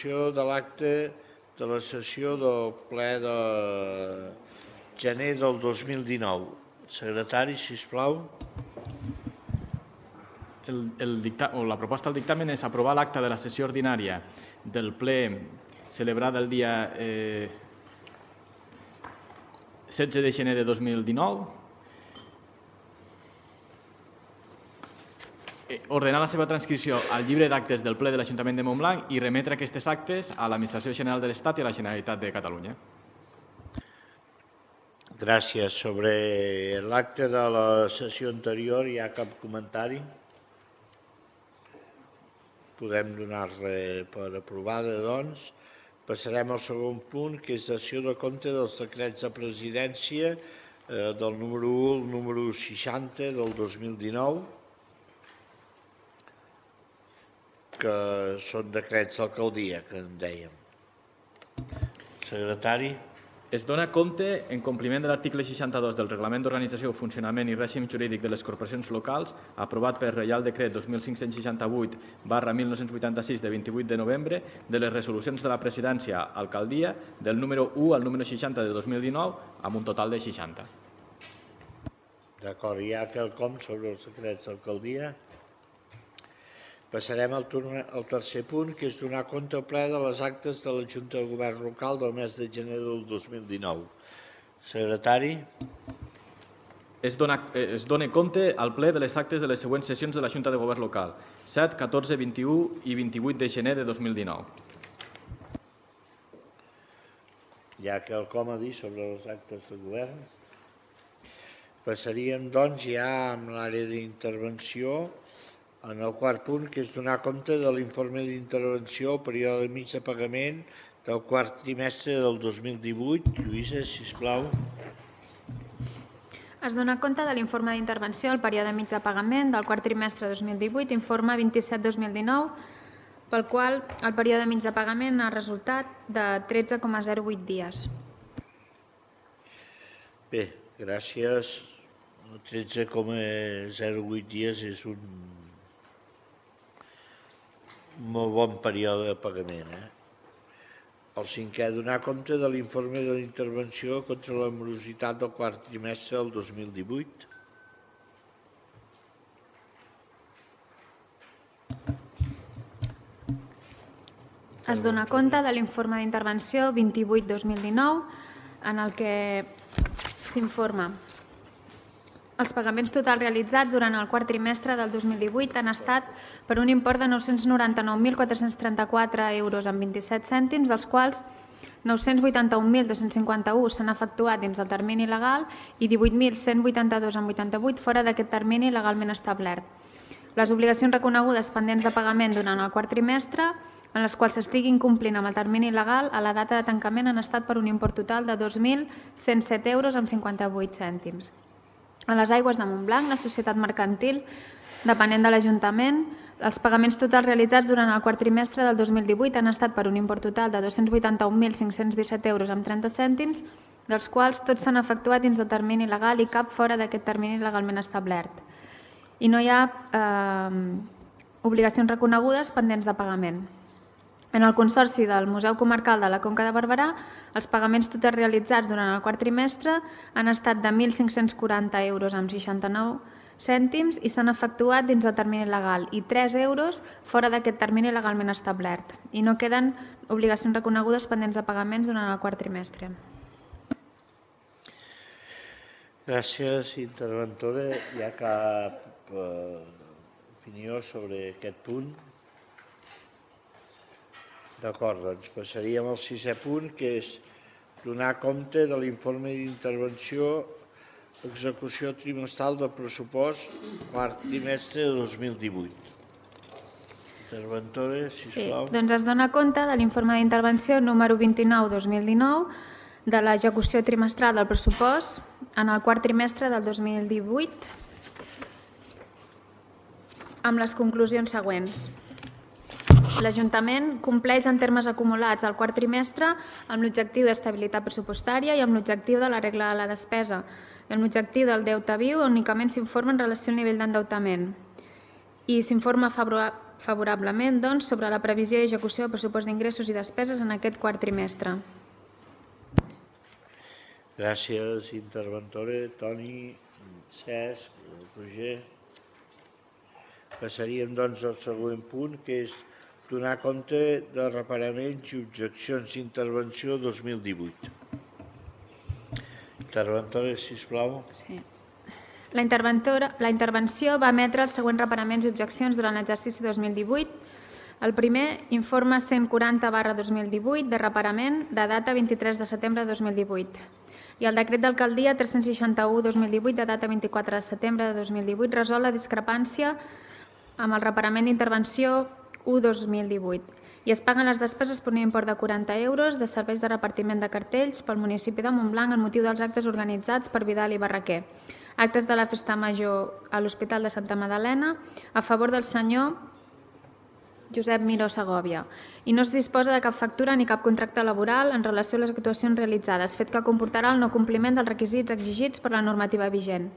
execució de l'acte de la sessió del ple de gener del 2019. Secretari, sisplau. La proposta del dictamen és aprovar l'acte de la sessió ordinària del ple celebrada el dia 16 de gener de 2019, ordenar la seva transcripció al llibre d'actes del ple de l'Ajuntament de Montblanc i remetre aquestes actes a l'Administració General de l'Estat i a la Generalitat de Catalunya. Gràcies. Sobre l'acte de la sessió anterior hi ha cap comentari? Podem donar-la per aprovada, doncs. Passarem al segon punt, que és dació de compte dels decrets de presidència del número 1 al número 60 del 2019, que són decrets d'alcaldia, que en dèiem. Secretari. Es dona compte, en compliment de l'article 62 del Reglament d'Organització, Funcionament i Règim Jurídic de les Corporacions Locals, aprovat per Reial Decret 2568/1986 de 28 de novembre, de les resolucions de la presidència alcaldia del número 1 al número 60 de 2019, amb un total de 60. D'acord, hi ha quelcom sobre els decrets d'alcaldia? Passarem al tercer punt, que és donar compte al ple de les actes de la Junta de Govern Local del mes de gener del 2019. Secretari. Es dona compte al ple de les actes de les següents sessions de la Junta de Govern Local, 7, 14, 21 i 28 de gener de 2019. Hi ha quelcom a dir sobre els actes de govern? Passaríem, doncs, ja amb l'àrea d'intervenció, en el quart punt, que és donar compte de l'informe d'intervenció al període mig de pagament del quart trimestre del 2018. Lluïsa, sisplau. Es dona compte de l'informe d'intervenció al període mig de pagament del quart trimestre 2018, informe 27-2019, pel qual el període mig de pagament ha resultat de 13,08 dies. Bé, gràcies. 13,08 dies és un molt bon període de pagament. El cinquè, donar compte de l'informe de l'intervenció contra la morositat del quart trimestre del 2018. Es dona compte de l'informe d'intervenció 28-2019, en el que s'informa. Els pagaments totals realitzats durant el quart trimestre del 2018 han estat per un import de 999.434 euros amb 27 cèntims, dels quals 981.251 s'han efectuat dins del termini legal i 18.182 amb 88 fora d'aquest termini legalment establert. Les obligacions reconegudes pendents de pagament durant el quart trimestre, en les quals s'estiguin complint amb el termini legal, a la data de tancament han estat per un import total de 2.107 euros amb 58 cèntims. A les aigües de Montblanc, la societat mercantil, depenent de l'Ajuntament, els pagaments totals realitzats durant el quart trimestre del 2018 han estat per un import total de 281.517 euros amb 30 cèntims, dels quals tots s'han efectuat dins del termini legal i cap fora d'aquest termini legalment establert. I no hi ha obligacions reconegudes pendents de pagament. En el Consorci del Museu Comarcal de la Conca de Barberà, els pagaments totals realitzats durant el quart trimestre han estat de 1.540 euros amb 69 cèntims i s'han efectuat dins del termini legal i 3 euros fora d'aquest termini legalment establert. I no queden obligacions reconegudes pendents de pagaments durant el quart trimestre. Gràcies, interventora. Hi ha cap opinió sobre aquest punt? D'acord, doncs passaríem al sisè punt, que és donar compte de l'informe d'intervenció execució trimestral del pressupost quart trimestre de 2018. Interventora, sisplau. Sí, doncs es dona compte de l'informe d'intervenció número 29-2019 de l'execució trimestral del pressupost en el quart trimestre del 2018 amb les conclusions següents. L'Ajuntament compleix en termes acumulats al quart trimestre amb l'objectiu d'estabilitat pressupostària i amb l'objectiu de la regla de la despesa. Amb l'objectiu del deute viu únicament s'informa en relació al nivell d'endeutament i s'informa favorablement doncs, sobre la previsió i execució del pressupost d'ingressos i despeses en aquest quart trimestre. Gràcies, interventora. Toni, Cesc, Roger. Passaríem, doncs, al següent punt, que és donar compte de reparaments i objeccions d'intervenció 2018. Interventora, sisplau. Sí. La intervenció va emetre els següents reparaments i objeccions durant l'exercici 2018. El primer, informe 140/2018 de reparament de data 23 de setembre de 2018. I el decret d'alcaldia 361/2018 de data 24 de setembre de 2018 resol la discrepància amb el reparament d'intervenció 1/2018 i es paguen les despeses per un import de 40 euros de serveis de repartiment de cartells pel municipi de Montblanc en motiu dels actes organitzats per Vidal i Barraquer. Actes de la Festa Major a l'Hospital de Santa Magdalena a favor del senyor Josep Miró Segovia. I no es disposa de cap factura ni cap contracte laboral en relació a les actuacions realitzades, fet que comportarà el no compliment dels requisits exigits per la normativa vigent.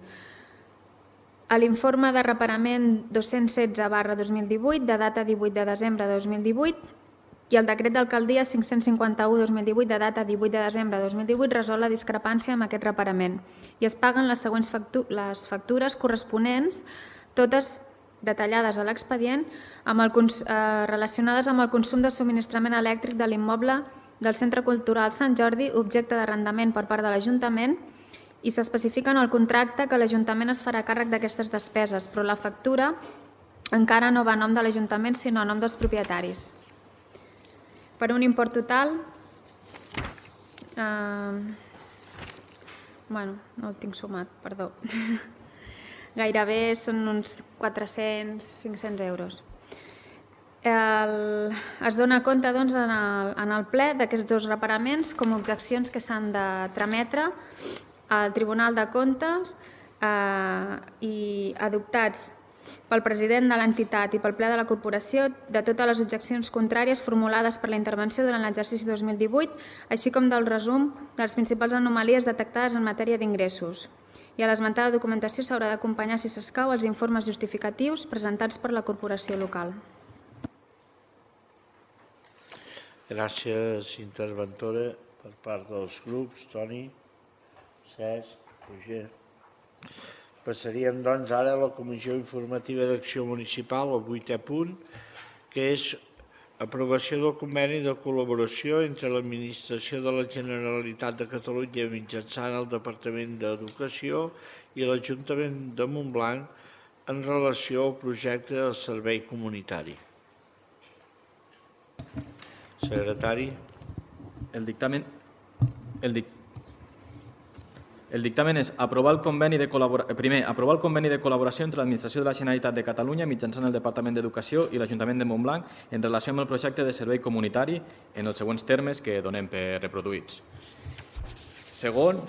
A l'informe de reparament 216/2018, de data 18 de desembre de 2018, i el decret d'alcaldia 551/2018, de data 18 de desembre de 2018, resol la discrepància amb aquest reparament i es paguen les següents factures corresponents, totes detallades a l'expedient, relacionades amb el consum de subministrament elèctric de l'immoble del Centre Cultural Sant Jordi, objecte d'arrendament per part de l'Ajuntament, i s'especifica en el contracte que l'Ajuntament es farà càrrec d'aquestes despeses, però la factura encara no va a nom de l'Ajuntament, sinó a nom dels propietaris. Per un import total, no el tinc sumat, perdó, gairebé són uns 400-500 euros. Es dona compte doncs, en el ple d'aquests dos reparaments com a objeccions que s'han de trametre al Tribunal de Comptes i adoptats pel president de l'entitat i pel ple de la corporació de totes les objeccions contràries formulades per la intervenció durant l'exercici 2018, així com del resum de les principals anomalies detectades en matèria d'ingressos. I a l'esmentada documentació s'haurà d'acompanyar, si s'escau, els informes justificatius presentats per la corporació local. Gràcies, interventora, per part dels grups. Toni, Cesc, Roger. Passaríem, doncs, ara a la Comissió Informativa d'Acció Municipal, el 8è punt, que és aprovació del conveni de col·laboració entre l'Administració de la Generalitat de Catalunya mitjançant el Departament d'Educació i l'Ajuntament de Montblanc en relació al projecte del servei comunitari. Secretari. El dictamen és aprovar el conveni de col·laboració entre l'Administració de la Generalitat de Catalunya mitjançant el Departament d'Educació i l'Ajuntament de Montblanc en relació amb el projecte de servei comunitari en els següents termes que donem per reproduïts. Segon,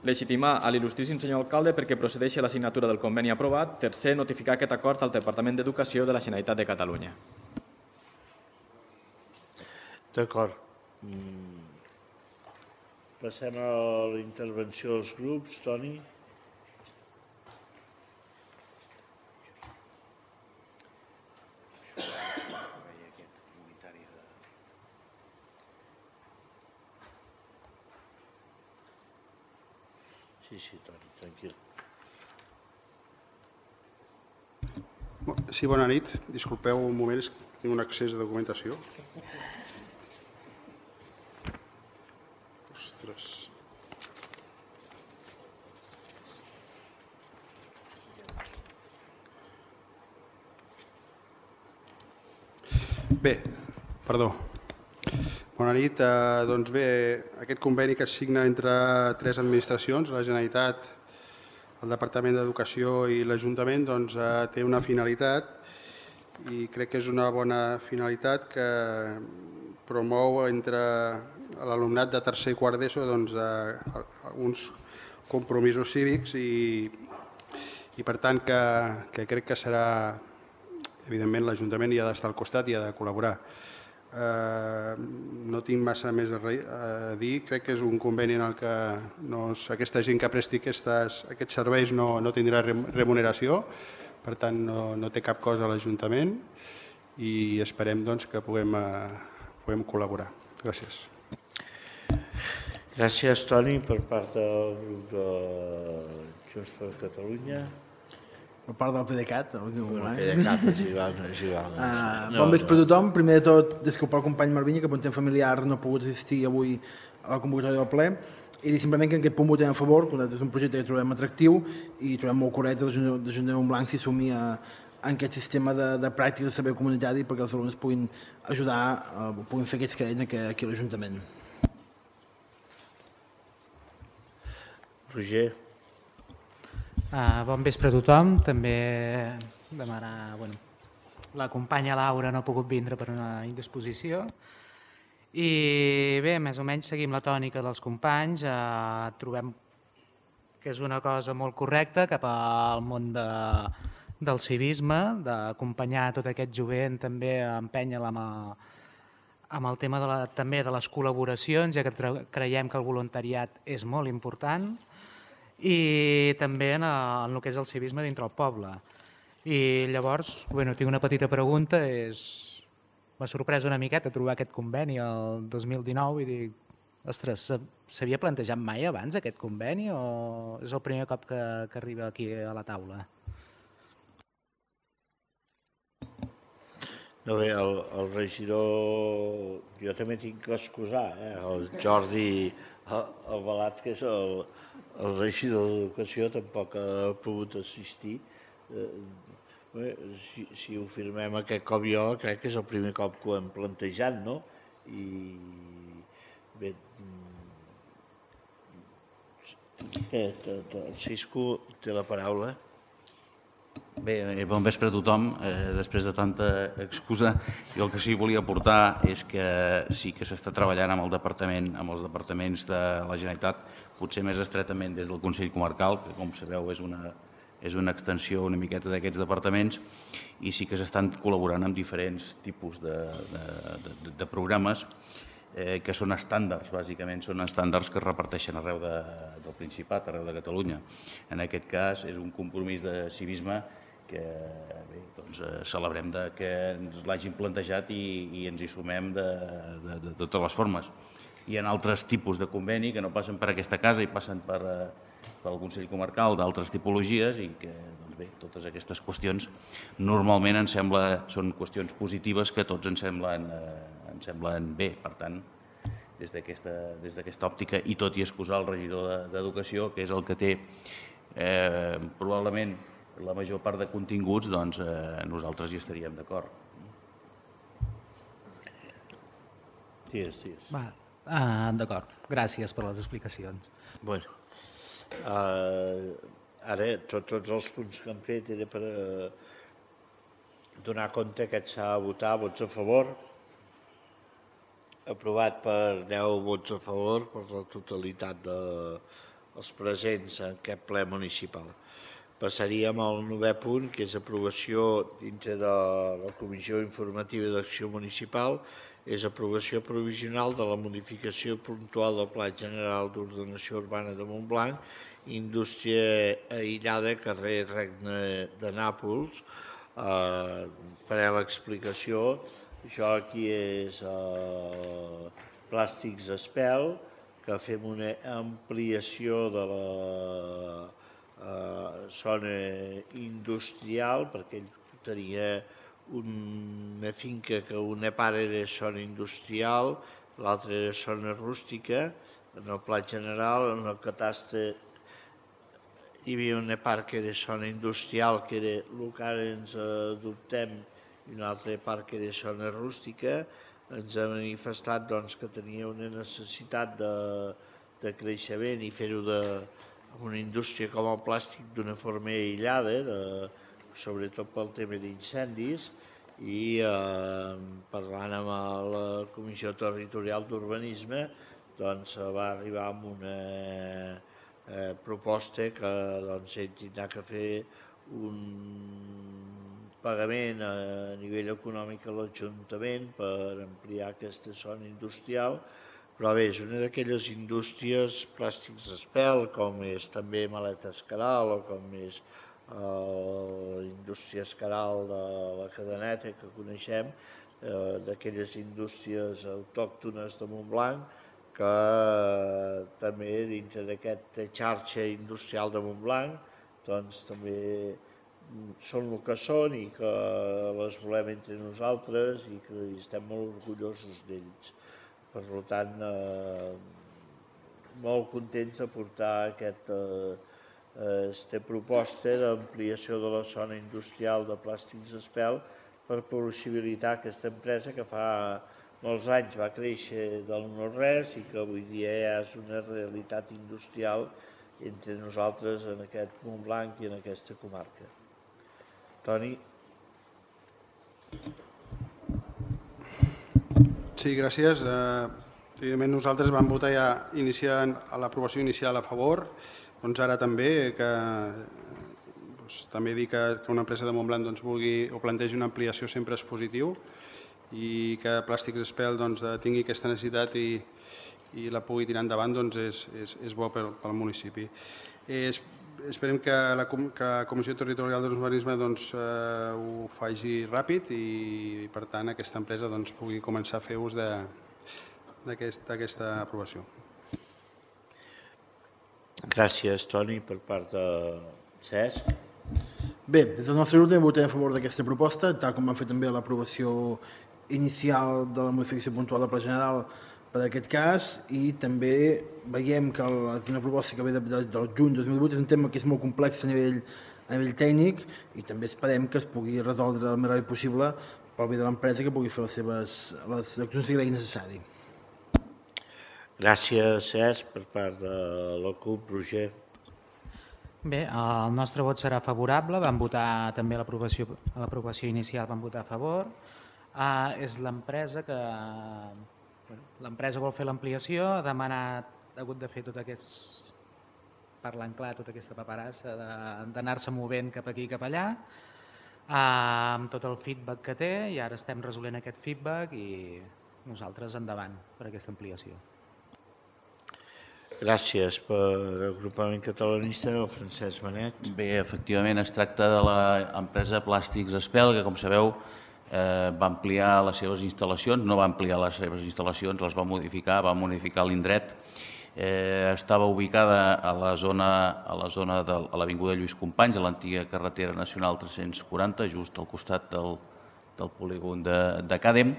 legitimar a l'il·lustríssim senyor alcalde perquè procedeixi a la signatura del conveni aprovat. Tercer, notificar aquest acord al Departament d'Educació de la Generalitat de Catalunya. D'acord. Passem a la intervenció dels grups. Toni. Sí, Toni, tranquil. Sí, bona nit. Disculpeu un moment, tinc un accés de documentació. Ostres. Bé, perdó. Bona nit. Doncs bé, aquest conveni que es signa entre tres administracions, la Generalitat, el Departament d'Educació i l'Ajuntament, doncs té una finalitat i crec que és una bona finalitat que promou entre l'alumnat de tercer i quart d'ESO uns compromisos cívics i per tant que crec que serà, evidentment l'Ajuntament hi ha d'estar al costat i ha de col·laborar. No tinc massa més a dir, crec que és un conveni en el que aquesta gent que presti aquests serveis no tindrà remuneració, per tant no té cap cost a l'Ajuntament i esperem que puguem col·laborar. Gràcies. Gràcies, Toni, per part del grup de Junts per Catalunya. Per part del PDeCAT. PDeCAT, és igual. Bon vespre a tothom. Primer de tot, disculpar el company Marvinya, que per un temps familiar no ha pogut assistir avui a la convocatòria del ple, i dir simplement que en aquest punt votem a favor, que és un projecte que trobem atractiu i trobem molt correcte l'Ajuntament de Montblanc si assumir en aquest sistema de pràctica de servei comunitari perquè els alumnes puguin ajudar, puguin fer aquests crèdits aquí a l'Ajuntament. Roger. Bon vespre a tothom. També demanar... La companya Laura no ha pogut vindre per una indisposició. I bé, més o menys seguim la tònica dels companys. Trobem que és una cosa molt correcta cap al món del civisme, d'acompanyar tot aquest jovent, també empènyer-la amb el tema també de les col·laboracions, ja que creiem que el voluntariat és molt important, i també en el que és el civisme dintre el poble. I llavors, tinc una petita pregunta, m'ha sorprès una miqueta trobar aquest conveni el 2019 i dic, ostres, s'havia plantejat mai abans aquest conveni o és el primer cop que arriba aquí a la taula? No bé, el regidor, jo també tinc que excusar, el Jordi Albalat, que és el regidor d'Educació, tampoc ha pogut assistir. Si ho firmem aquest cop jo, crec que és el primer cop que ho hem plantejat, no? I bé, el Cisco té la paraula. Bé, bon vespre a tothom. Després de tanta excusa, jo el que sí volia aportar és que sí que s'està treballant amb els departaments de la Generalitat, potser més estretament des del Consell Comarcal, que com sabeu és una extensió una miqueta d'aquests departaments, i sí que s'estan col·laborant amb diferents tipus de programes que són estàndards, bàsicament són estàndards que es reparteixen arreu del Principat, arreu de Catalunya. En aquest cas és un compromís de civisme que celebrem que ens l'hagin plantejat i ens hi sumem de totes les formes. Hi ha altres tipus de conveni que no passen per aquesta casa i passen pel Consell Comarcal d'altres tipologies i que totes aquestes qüestions normalment són qüestions positives que a tots ens semblen bé. Per tant, des d'aquesta òptica i tot i excusar el regidor d'Educació, que és el que té probablement la major part de continguts, doncs nosaltres hi estaríem d'acord. D'acord. Gràcies per les explicacions. Bé, ara tots els punts que han fet era per donar compte que s'ha de votar vots a favor. Aprovat per 10 vots a favor per la totalitat dels presents en aquest ple municipal. Passaríem al 9è punt, que és aprovació dintre de la Comissió Informativa d'Acció Municipal, és aprovació provisional de la modificació puntual del Pla General d'Ordenació Urbana de Montblanc, indústria aïllada, carrer Regne de Nàpols. Faré l'explicació. Això aquí és Plàstics Espel, que fem una ampliació de la zona industrial, perquè ell tenia una finca que una part era zona industrial, l'altra era zona rústica. En el pla general, en el catastre, hi havia una part que era zona industrial, que era el que ara ens adoptem, i una altra part que era zona rústica. Ens ha manifestat que tenia una necessitat de creixement i fer-ho amb una indústria com el plàstic d'una forma aïllada, sobretot pel tema d'incendis, i parlant amb la Comissió Territorial d'Urbanisme va arribar amb una proposta que ell tindrà que fer un pagament a nivell econòmic a l'Ajuntament per ampliar aquesta zona industrial, però bé, és una d'aquelles indústries Plàstics Espel, com és també Maletes Caral o com és la indústria Escaral de la Cadeneta que coneixem, d'aquelles indústries autòctones de Montblanc, que també dintre d'aquesta xarxa industrial de Montblanc doncs també són el que són i que les volem entre nosaltres i que estem molt orgullosos d'ells. Per tant, molt contents de portar aquesta proposta d'ampliació de la zona industrial de plàstics Espel per possibilitar aquesta empresa que fa molts anys va créixer del no-res i que avui dia ja és una realitat industrial entre nosaltres en aquest Montblanc i en aquesta comarca. Toni. Sí, gràcies. Evidentment nosaltres vam votar ja iniciant l'aprovació inicial a favor, doncs ara també que també dir que una empresa de Montblanc vulgui o plantegi una ampliació sempre és positiu i que Plàstics Espel tingui aquesta necessitat i la pugui tirar endavant és bo pel municipi. Esperem que la Comissió Territorial d'Urbanisme ho faci ràpid i per tant aquesta empresa pugui començar a fer ús d'aquesta aprovació. Gràcies, Toni, per part de Cesc. Bé, des del nostre grup també votem a favor d'aquesta proposta, tal com vam fer també l'aprovació inicial de la modificació puntual del Pla General per aquest cas, i també veiem que és una proposta que ve del juny 2008, és un tema que és molt complex a nivell tècnic i també esperem que es pugui resoldre el més ràpid possible pel bé de l'empresa que pugui fer les accions que cregui necessari. Gràcies, Cesc, per part de la CUP. Roger. Bé, el nostre vot serà favorable, vam votar també a l'aprovació inicial, vam votar a favor. És l'empresa que... L'empresa vol fer l'ampliació, ha hagut de fer tot aquest... parlant clar, tota aquesta paperassa d'anar-se movent cap aquí i cap allà, amb tot el feedback que té, i ara estem resolent aquest feedback i nosaltres endavant per aquesta ampliació. Gràcies per l'agrupament catalanista, el Francesc Manet. Bé, efectivament es tracta de l'empresa Plàstics Espel, que com sabeu va ampliar les seves instal·lacions, no va ampliar les seves instal·lacions, les va modificar l'indret. Estava ubicada a la zona de l'avinguda Lluís Companys, a l'antiga carretera nacional 340, just al costat del polígon de Càdem.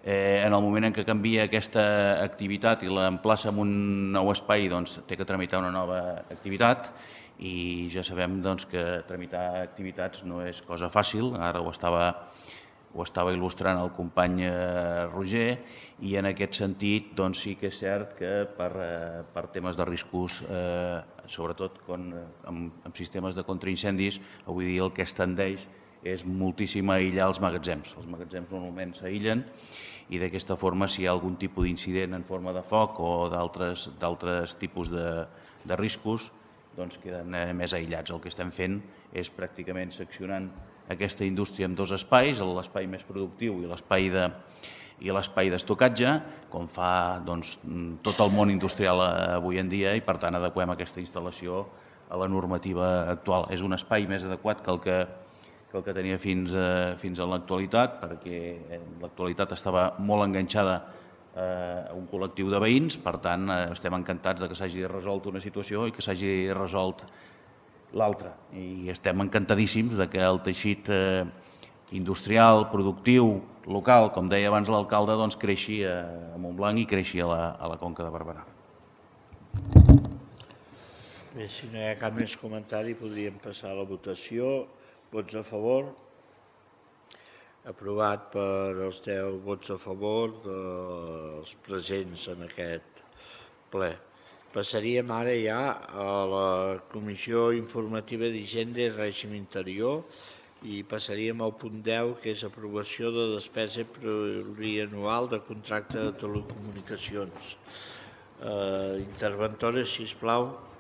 En el moment en què canvia aquesta activitat i l'emplaça en un nou espai, té que tramitar una nova activitat i ja sabem que tramitar activitats no és cosa fàcil. Ara ho estava il·lustrant el company Roger i en aquest sentit sí que és cert que per temes de riscos, sobretot amb sistemes de contraincendis, avui dia el que es tendeix és moltíssim a aïllar els magatzems. Els magatzems normalment s'aïllen i d'aquesta forma, si hi ha algun tipus d'incident en forma de foc o d'altres tipus de riscos, queden més aïllats. El que estem fent és pràcticament seccionant aquesta indústria en dos espais, l'espai més productiu i l'espai d'estocatge, com fa tot el món industrial avui en dia, i per tant adequem aquesta instal·lació a la normativa actual. És un espai més adequat que el que tenia fins a l'actualitat, perquè en l'actualitat estava molt enganxada a un col·lectiu de veïns, per tant estem encantats que s'hagi resolt una situació i que s'hagi resolt l'altra. I estem encantadíssims que el teixit industrial, productiu, local, com deia abans l'alcalde, creixi a Montblanc i creixi a la Conca de Barberà. Bé, si no hi ha cap més comentari, podríem passar a la votació. Vots a favor? Aprovat per els 10 vots a favor dels presents en aquest ple. Passaríem ara ja a la Comissió Informativa d'Hisenda i Règim Interior i passaríem al punt 10, que és aprovació de despesa plurianual de contracte de telecomunicacions. Interventores, sisplau.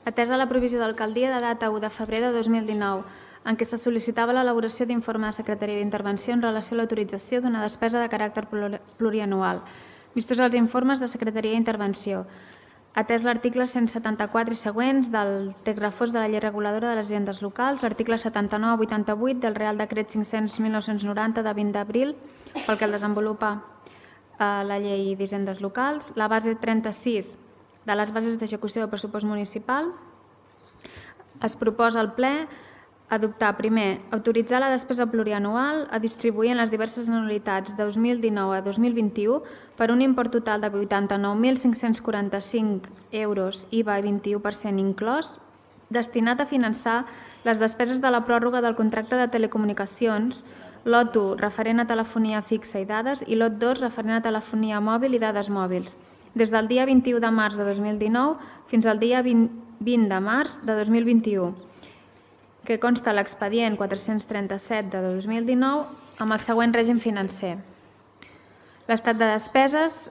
Atesa la provisió d'alcaldia de data 1 de febrer de 2019, en què se sol·licitava l'elaboració d'informe de Secretaria d'Intervenció en relació a l'autorització d'una despesa de caràcter plurianual, vistos els informes de Secretaria d'Intervenció, atès l'article 174 i següents del text refós de la llei reguladora de les hisendes locals, l'article 79-88 del Real Decret 500-1990 de 20 d'abril, pel que el desenvolupa la llei d'hisendes locals, la base 36 de les bases d'execució del pressupost municipal. Es proposa al ple adoptar, primer, autoritzar la despesa plurianual a distribuir en les diverses anualitats de 2019 a 2021 per un import total de 89.545 euros, IVA i 21% inclòs, destinat a finançar les despeses de la pròrroga del contracte de telecomunicacions, lot 1 referent a telefonia fixa i dades i lot 2 referent a telefonia mòbil i dades mòbils, des del dia 21 de març de 2019 fins al dia 20 de març de 2021, que consta l'expedient 437 de 2019 amb el següent règim financer. L'estat de despeses,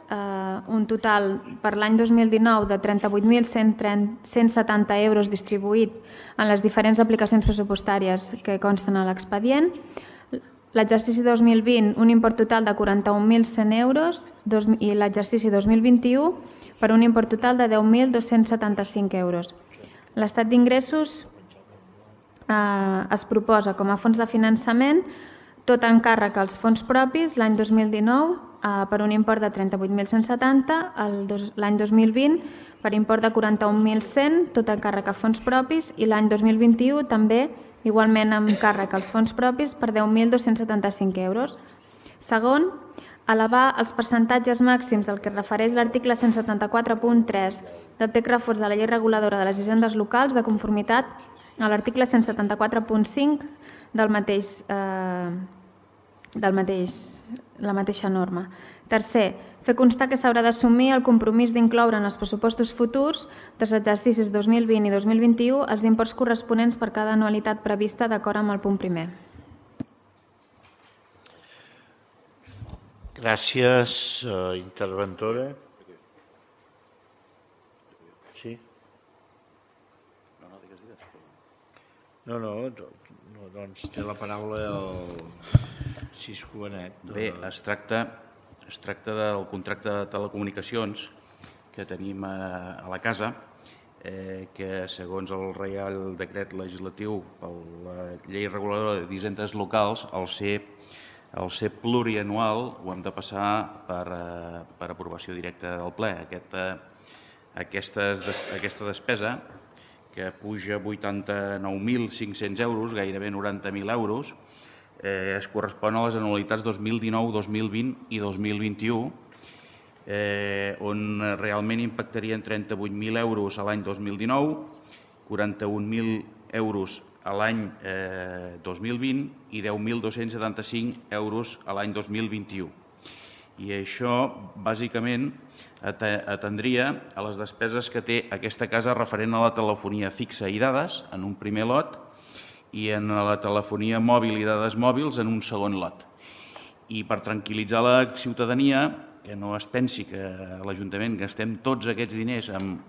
un total per l'any 2019 de 38.170 euros distribuït en les diferents aplicacions pressupostàries que consten a l'expedient. L'exercici 2020, un import total de 41.100 euros i l'exercici 2021 per un import total de 10.275 euros. L'estat d'ingressos es proposa com a fons de finançament tot encàrrec als fons propis l'any 2019 per un import de 38.170, l'any 2020 per import de 41.100, tot encàrrec a fons propis, i l'any 2021 també igualment amb càrrec als fons propis per 10.275 euros. Segon, elevar els percentatges màxims al que refereix l'article 174.3 del text refós de la llei reguladora de les hisendes locals de conformitat a l'article 174.5 la mateixa norma. Tercer, fer constar que s'haurà d'assumir el compromís d'incloure en els pressupostos futurs dels exercicis 2020 i 2021 els imports corresponents per cada anualitat prevista d'acord amb el punt primer. Gràcies, interventora. Sí? No, doncs té la paraula el Cisco Benet. Bé, es tracta del contracte de telecomunicacions que tenim a la casa, que segons el Reial Decret Legislatiu per la Llei Reguladora d'Hisendes Locals, al ser plurianual ho hem de passar per aprovació directa del ple. Aquesta despesa, que puja 89.500 euros, gairebé 90.000 euros, es correspon a les anualitats 2019, 2020 i 2021, on realment impactarien 38.000 euros a l'any 2019, 41.000 euros a l'any 2020 i 10.275 euros a l'any 2021. I això, bàsicament, atendria a les despeses que té aquesta casa referent a la telefonia fixa i dades en un primer lot i en la telefonia mòbil i dades mòbils en un segon lot. I per tranquil·litzar la ciutadania, que no es pensi que a l'Ajuntament gastem tots aquests diners amb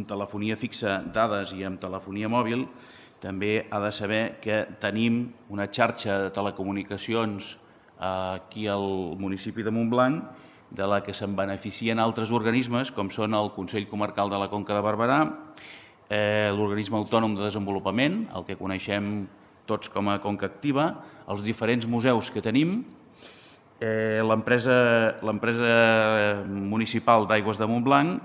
telefonia fixa, dades i amb telefonia mòbil, també ha de saber que tenim una xarxa de telecomunicacions aquí al municipi de Montblanc, de la que se'n beneficien altres organismes, com són el Consell Comarcal de la Conca de Barberà, l'Organisme Autònom de Desenvolupament, el que coneixem tots com a Conca Activa, els diferents museus que tenim, l'empresa municipal d'Aigües de Montblanc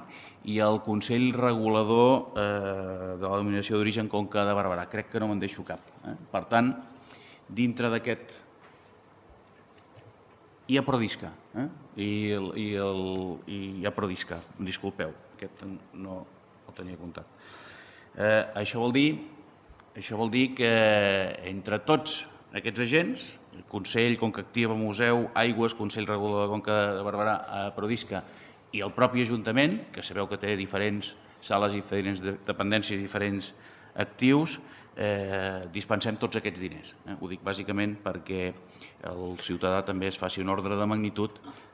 i el Consell Regulador de la Denominació d'Origen Conca de Barberà. Crec que no me'n deixo cap. Per tant, dintre d'aquest... Hi ha Prodisca, hi ha Prodisca, disculpeu, aquest no el tenia comptat. Això vol dir que entre tots aquests agents, el Consell, Conca Activa, Museu, Aigües, Consell Regulador de Conca de Barberà, Prodisca i el propi Ajuntament, que sabeu que té diferents sales i diferents dependències i diferents actius, dispensem tots aquests diners. Ho dic bàsicament perquè el ciutadà també es faci un ordre de magnitud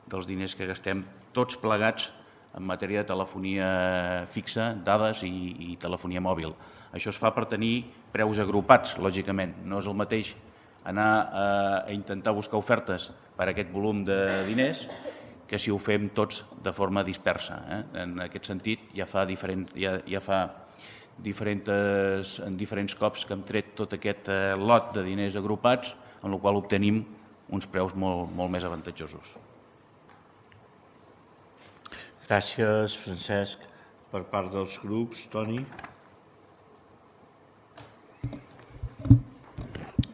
dels diners que gastem tots plegats en matèria de telefonia fixa, dades i telefonia mòbil. Això es fa per tenir preus agrupats, lògicament. No és el mateix anar a intentar buscar ofertes per aquest volum de diners que si ho fem tots de forma dispersa. En aquest sentit, ja fa diferents cops que hem tret tot aquest lot de diners agrupats, en el qual obtenim uns preus molt més avantatjosos. Gràcies, Francesc. Per part dels grups, Toni.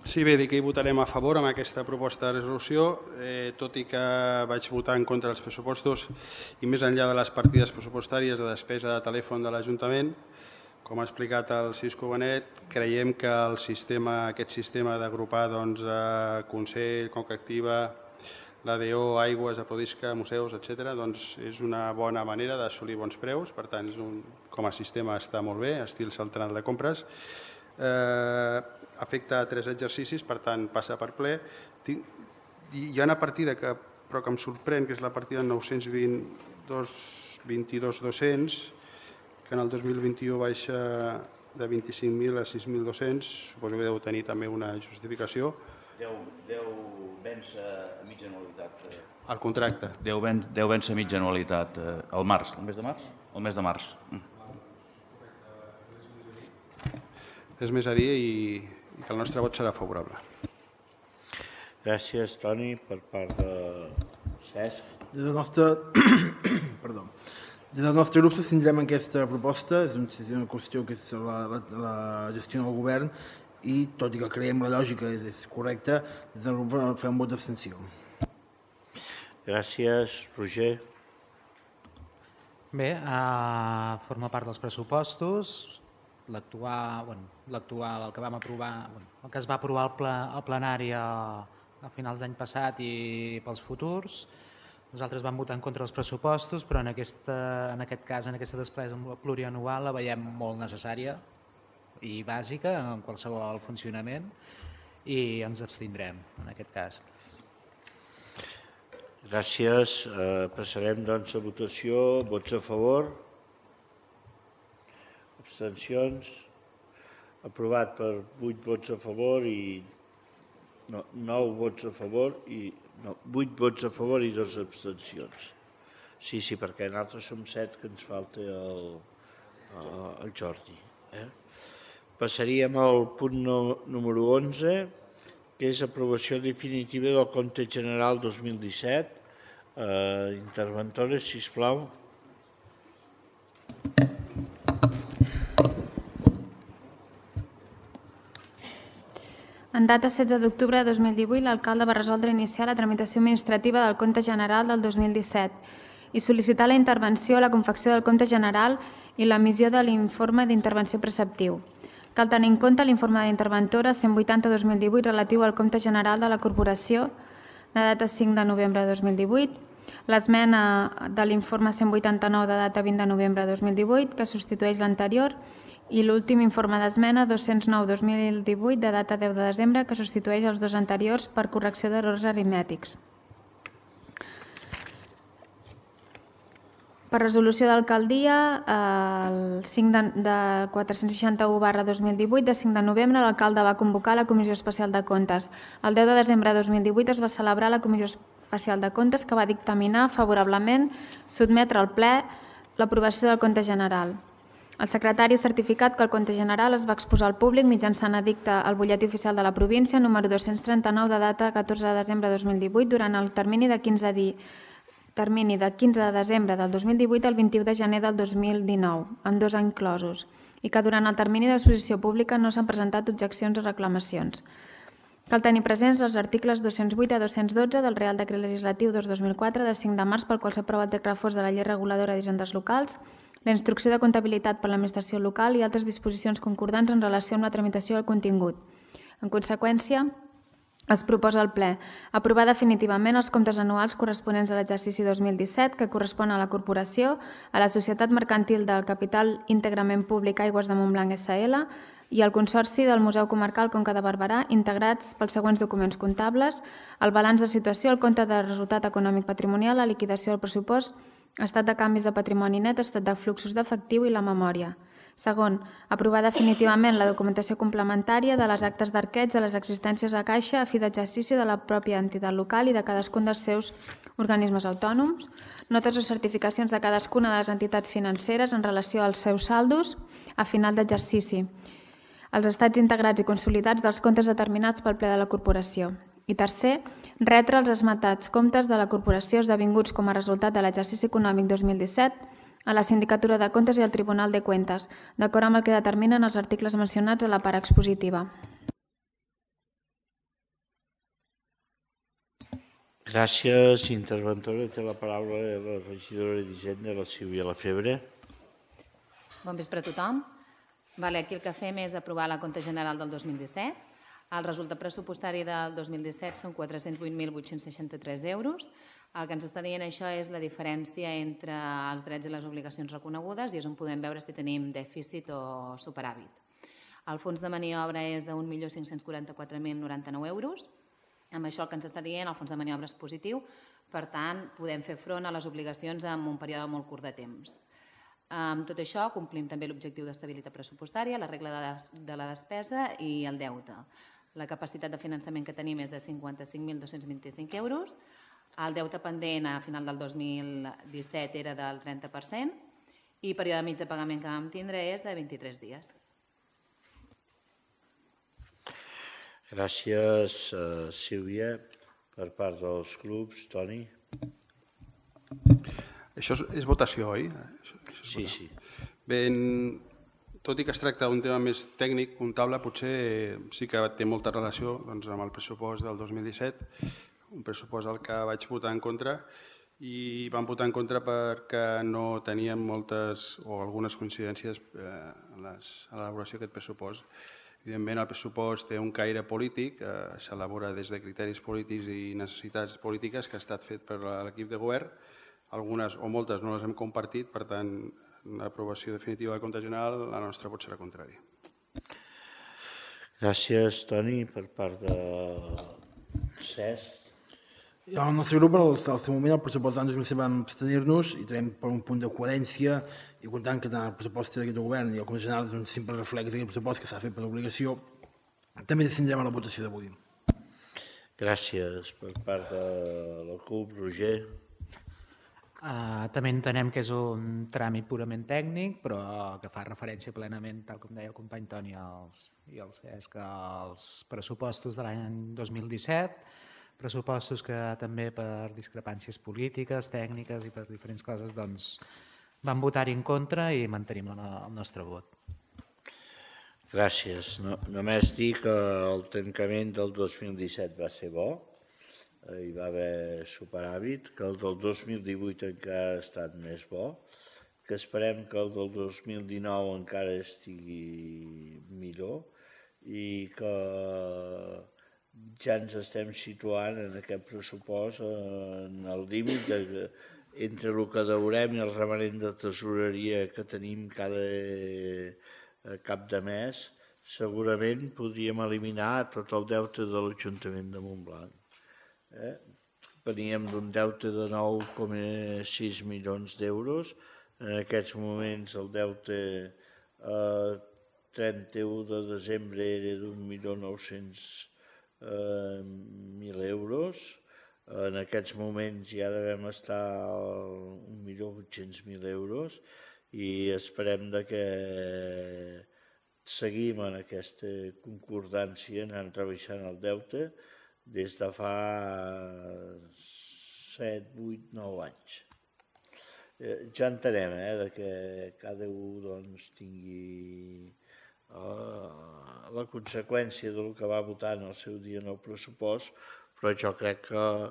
Sí, bé, dic que hi votarem a favor amb aquesta proposta de resolució, tot i que vaig votar en contra dels pressupostos i més enllà de les partides pressupostàries de despesa de telèfon de l'Ajuntament. Com ha explicat el Cisco Benet, creiem que aquest sistema d'agrupar Consell, Conca Activa, l'ADO, Aigües, Aprodisca, museus, etc., és una bona manera d'assolir bons preus. Per tant, com a sistema està molt bé, estil central de compres. Afecta 3 exercicis, per tant, passa per ple. Hi ha una partida però que em sorprèn, que és la partida 922.200, que en el 2021 baixa de 25.000 a 6.200. Suposo que deu tenir també una justificació. Deu vèncer a mitja anualitat. El contracte. Deu vèncer a mitja anualitat. Al març, el mes de març? El mes de març. Res més a dir i que el nostre vot serà favorable. Gràcies, Toni. Per part de Cesc. Des del nostre grup s'abstindrem en aquesta proposta. És una qüestió que és la gestió del govern i, tot i que creiem la lògica és correcta, des del grup fem un vot d'abstenció. Gràcies, Roger. Bé, forma part dels pressupostos. L'actual, el que vam aprovar, el que es va aprovar al plenari a finals d'any passat i pels futurs. Nosaltres vam votar en contra dels pressupostos, però en aquest cas, en aquesta despesa plurianual, la veiem molt necessària i bàsica en qualsevol funcionament i ens abstindrem en aquest cas. Gràcies. Passarem doncs a votació. Vots a favor? Abstencions? Aprovat per 8 vots a favor i 9 vots a favor i 8 vots a favor i 2 abstencions. Sí, perquè nosaltres som 7 que ens falta el Jordi. Passaríem al punt número 11, que és aprovació definitiva del compte general 2017. Interventores, sisplau. En data 16 d'octubre de 2018, l'alcalde va resoldre iniciar la tramitació administrativa del compte general del 2017 i sol·licitar la intervenció, la confecció del compte general i l'emissió de l'informe d'intervenció preceptiu. Cal tenir en compte l'informe d'interventora 180-2018 relatiu al compte general de la corporació de data 5 de novembre de 2018, l'esmena de l'informe 189 de data 20 de novembre de 2018 que substitueix l'anterior i l'últim informe d'esmena 209-2018 de data 10 de desembre que substitueix els dos anteriors per correcció d'errors aritmètics. Per resolució d'alcaldia, el 5 de 461/2018 de 5 de novembre, l'alcalde va convocar la Comissió Especial de Comptes. El 10 de desembre de 2018 es va celebrar la Comissió Especial de Comptes que va dictaminar favorablement sotmetre al ple l'aprovació del compte general. El secretari ha certificat que el compte general es va exposar al públic mitjançant edicte al butlletí oficial de la província número 239 de data 14 de desembre de 2018 durant el termini de 15 de desembre del 2018 al 21 de gener del 2019, amb 2 anys inclosos, i que durant el termini d'exposició pública no s'han presentat objeccions o reclamacions. Cal tenir presents els articles 208 a 212 del Real Decret Legislatiu 2/2004 del 5 de març pel qual s'aprova el decret reforç de la Llei Reguladora d'Hisendes Locals, la instrucció de comptabilitat per l'administració local i altres disposicions concordants en relació amb la tramitació del contingut. En conseqüència, es proposa al ple aprovar definitivament els comptes anuals corresponents a l'exercici 2017 que correspon a la Corporació, a la Societat Mercantil del Capital Íntegrament Públic Aigües de Montblanc S.L. i al Consorci del Museu Comarcal Conca de Barberà, integrats pels següents documents comptables, el balanç de situació, el compte de resultat econòmic patrimonial, la liquidació del pressupost, estat de canvis de patrimoni net, estat de fluxos d'efectiu i la memòria. Segon, aprovar definitivament la documentació complementària de les actes d'arqueig de les existències a caixa a fi d'exercici de la pròpia entitat local i de cadascun dels seus organismes autònoms, notes o certificacions de cadascuna de les entitats financeres en relació als seus saldos a final d'exercici, els estats integrats i consolidats dels comptes determinats pel ple de la corporació. I tercer, retre els esmentats comptes de la corporació esdevinguts com a resultat de l'exercici econòmic 2017 a la Sindicatura de Comptes i al Tribunal de Cuentas, d'acord amb el que determinen els articles mencionats a la part expositiva. Gràcies, interventora. Té la paraula la regidora d'Hisenda, la Sílvia Lafebre. Bon vespre a tothom. Aquí el que fem és aprovar la compte general del 2017. El resultat pressupostari del 2017 són 408.863 euros. El que ens està dient això és la diferència entre els drets i les obligacions reconegudes i és on podem veure si tenim dèficit o superàvit. El fons de maniobra és de 1.544.099 euros. Amb això el que ens està dient, el fons de maniobra és positiu, per tant, podem fer front a les obligacions en un període molt curt de temps. Amb tot això, complim també l'objectiu d'estabilitat pressupostària, la regla de la despesa i el deute. La capacitat de finançament que tenim és de 55.225 euros. El deute pendent a final del 2017 era del 30% i el període mig de pagament que vam tindre és de 23 dies. Gràcies, Sílvia. Per part dels grups, Toni. Això és votació, oi? Sí, sí. Bé, tot i que es tracta d'un tema més tècnic, comptable, potser sí que té molta relació amb el pressupost del 2017, un pressupost al que vaig votar en contra i vam votar en contra perquè no teníem moltes o algunes coincidències en l'elaboració d'aquest pressupost. Evidentment, el pressupost té un caire polític, s'elabora des de criteris polítics i necessitats polítiques que ha estat fet per l'equip de govern. Algunes o moltes no les hem compartit, per tant, l'aprovació definitiva del compte general, la nostra pot ser contrària. Gràcies, Toni. Per part de Cesc. El nostre grup, al seu moment, el pressupost d'any 2017 vam abstenir-nos i tenim per un punt de coherència i comptant que tant el pressupost d'aquest govern i el compte general és un simple reflex d'aquest pressupost que s'ha fet per obligació, també descendrem a la votació d'avui. Gràcies. Per part de la CUP, Roger. També entenem que és un tràmit purament tècnic, però que fa referència plenament, tal com deia el company Toni i el Cesc, als pressupostos de l'any 2017, pressupostos que també per discrepàncies polítiques, tècniques i per diferents coses vam votar-hi en contra i mantenim el nostre vot. Gràcies. Només dir que el tancament del 2017 va ser bo, hi va haver superàvit, que el del 2018 encara ha estat més bo, que esperem que el del 2019 encara estigui millor i que ja ens estem situant en aquest pressupost en el límit entre el que deurem i el remanent de tesoreria que tenim cada cap de mes. Segurament podríem eliminar tot el deute de l'Ajuntament de Montblanc. Veníem d'un deute de 9,6 milions d'euros. En aquests moments el deute a 31 de desembre era d'1.900.000 euros. En aquests moments ja devem estar a 1.800.000 euros i esperem que seguim en aquesta concordància anant rebaixant el deute des de fa 7, 8, 9 anys. Ja entenem que cada un tingui la conseqüència del que va votar en el seu dia en el pressupost, però jo crec que,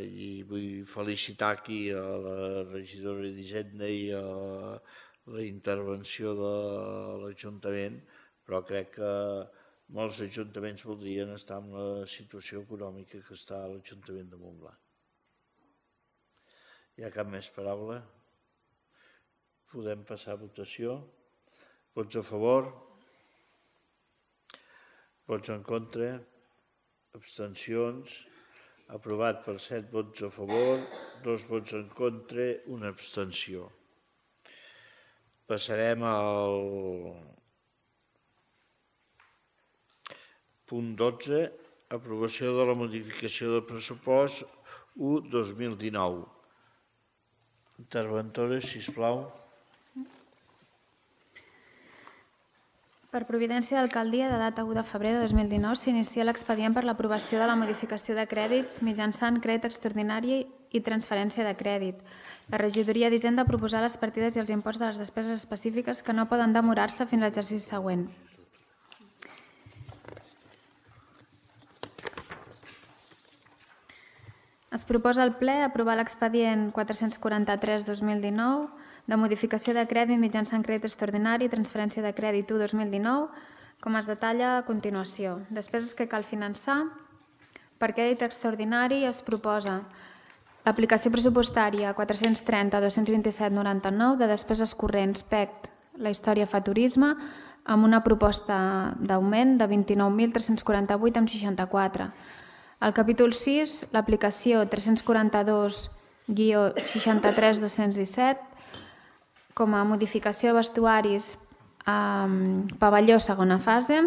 i vull felicitar aquí a la regidora d'Hisenda i a la intervenció de l'Ajuntament, però crec que molts ajuntaments voldrien estar en la situació econòmica que està l'Ajuntament de Montblanc. Hi ha cap més paraula? Podem passar a votació. Vots a favor? Vots en contra? Abstencions? Aprovat per 7 vots a favor, 2 vots en contra, una abstenció. Passarem al punt 12, aprovació de la modificació del pressupost 1-2019. Interventores, sisplau. Per providència d'alcaldia, de data 1 de febrer de 2019, s'inicia l'expedient per l'aprovació de la modificació de crèdits mitjançant crèdit extraordinari i transferència de crèdit. La regidoria d'Hisenda proposarà les partides i els imports de les despeses específiques que no poden demorar-se fins a l'exercici següent. Es proposa al ple aprovar l'expedient 443-2019 de modificació de crèdit mitjançant crèdit extraordinari i transferència de crèdit 1-2019, com es detalla a continuació. Despeses que cal finançar. Per crèdit extraordinari es proposa l'aplicació pressupostària 430-227,99 de despeses corrents PECT, la història fa turisme, amb una proposta d'augment de 29.348,64. Al capítol 6, l'aplicació 342-63217 com a modificació de vestuaris pavelló segona fase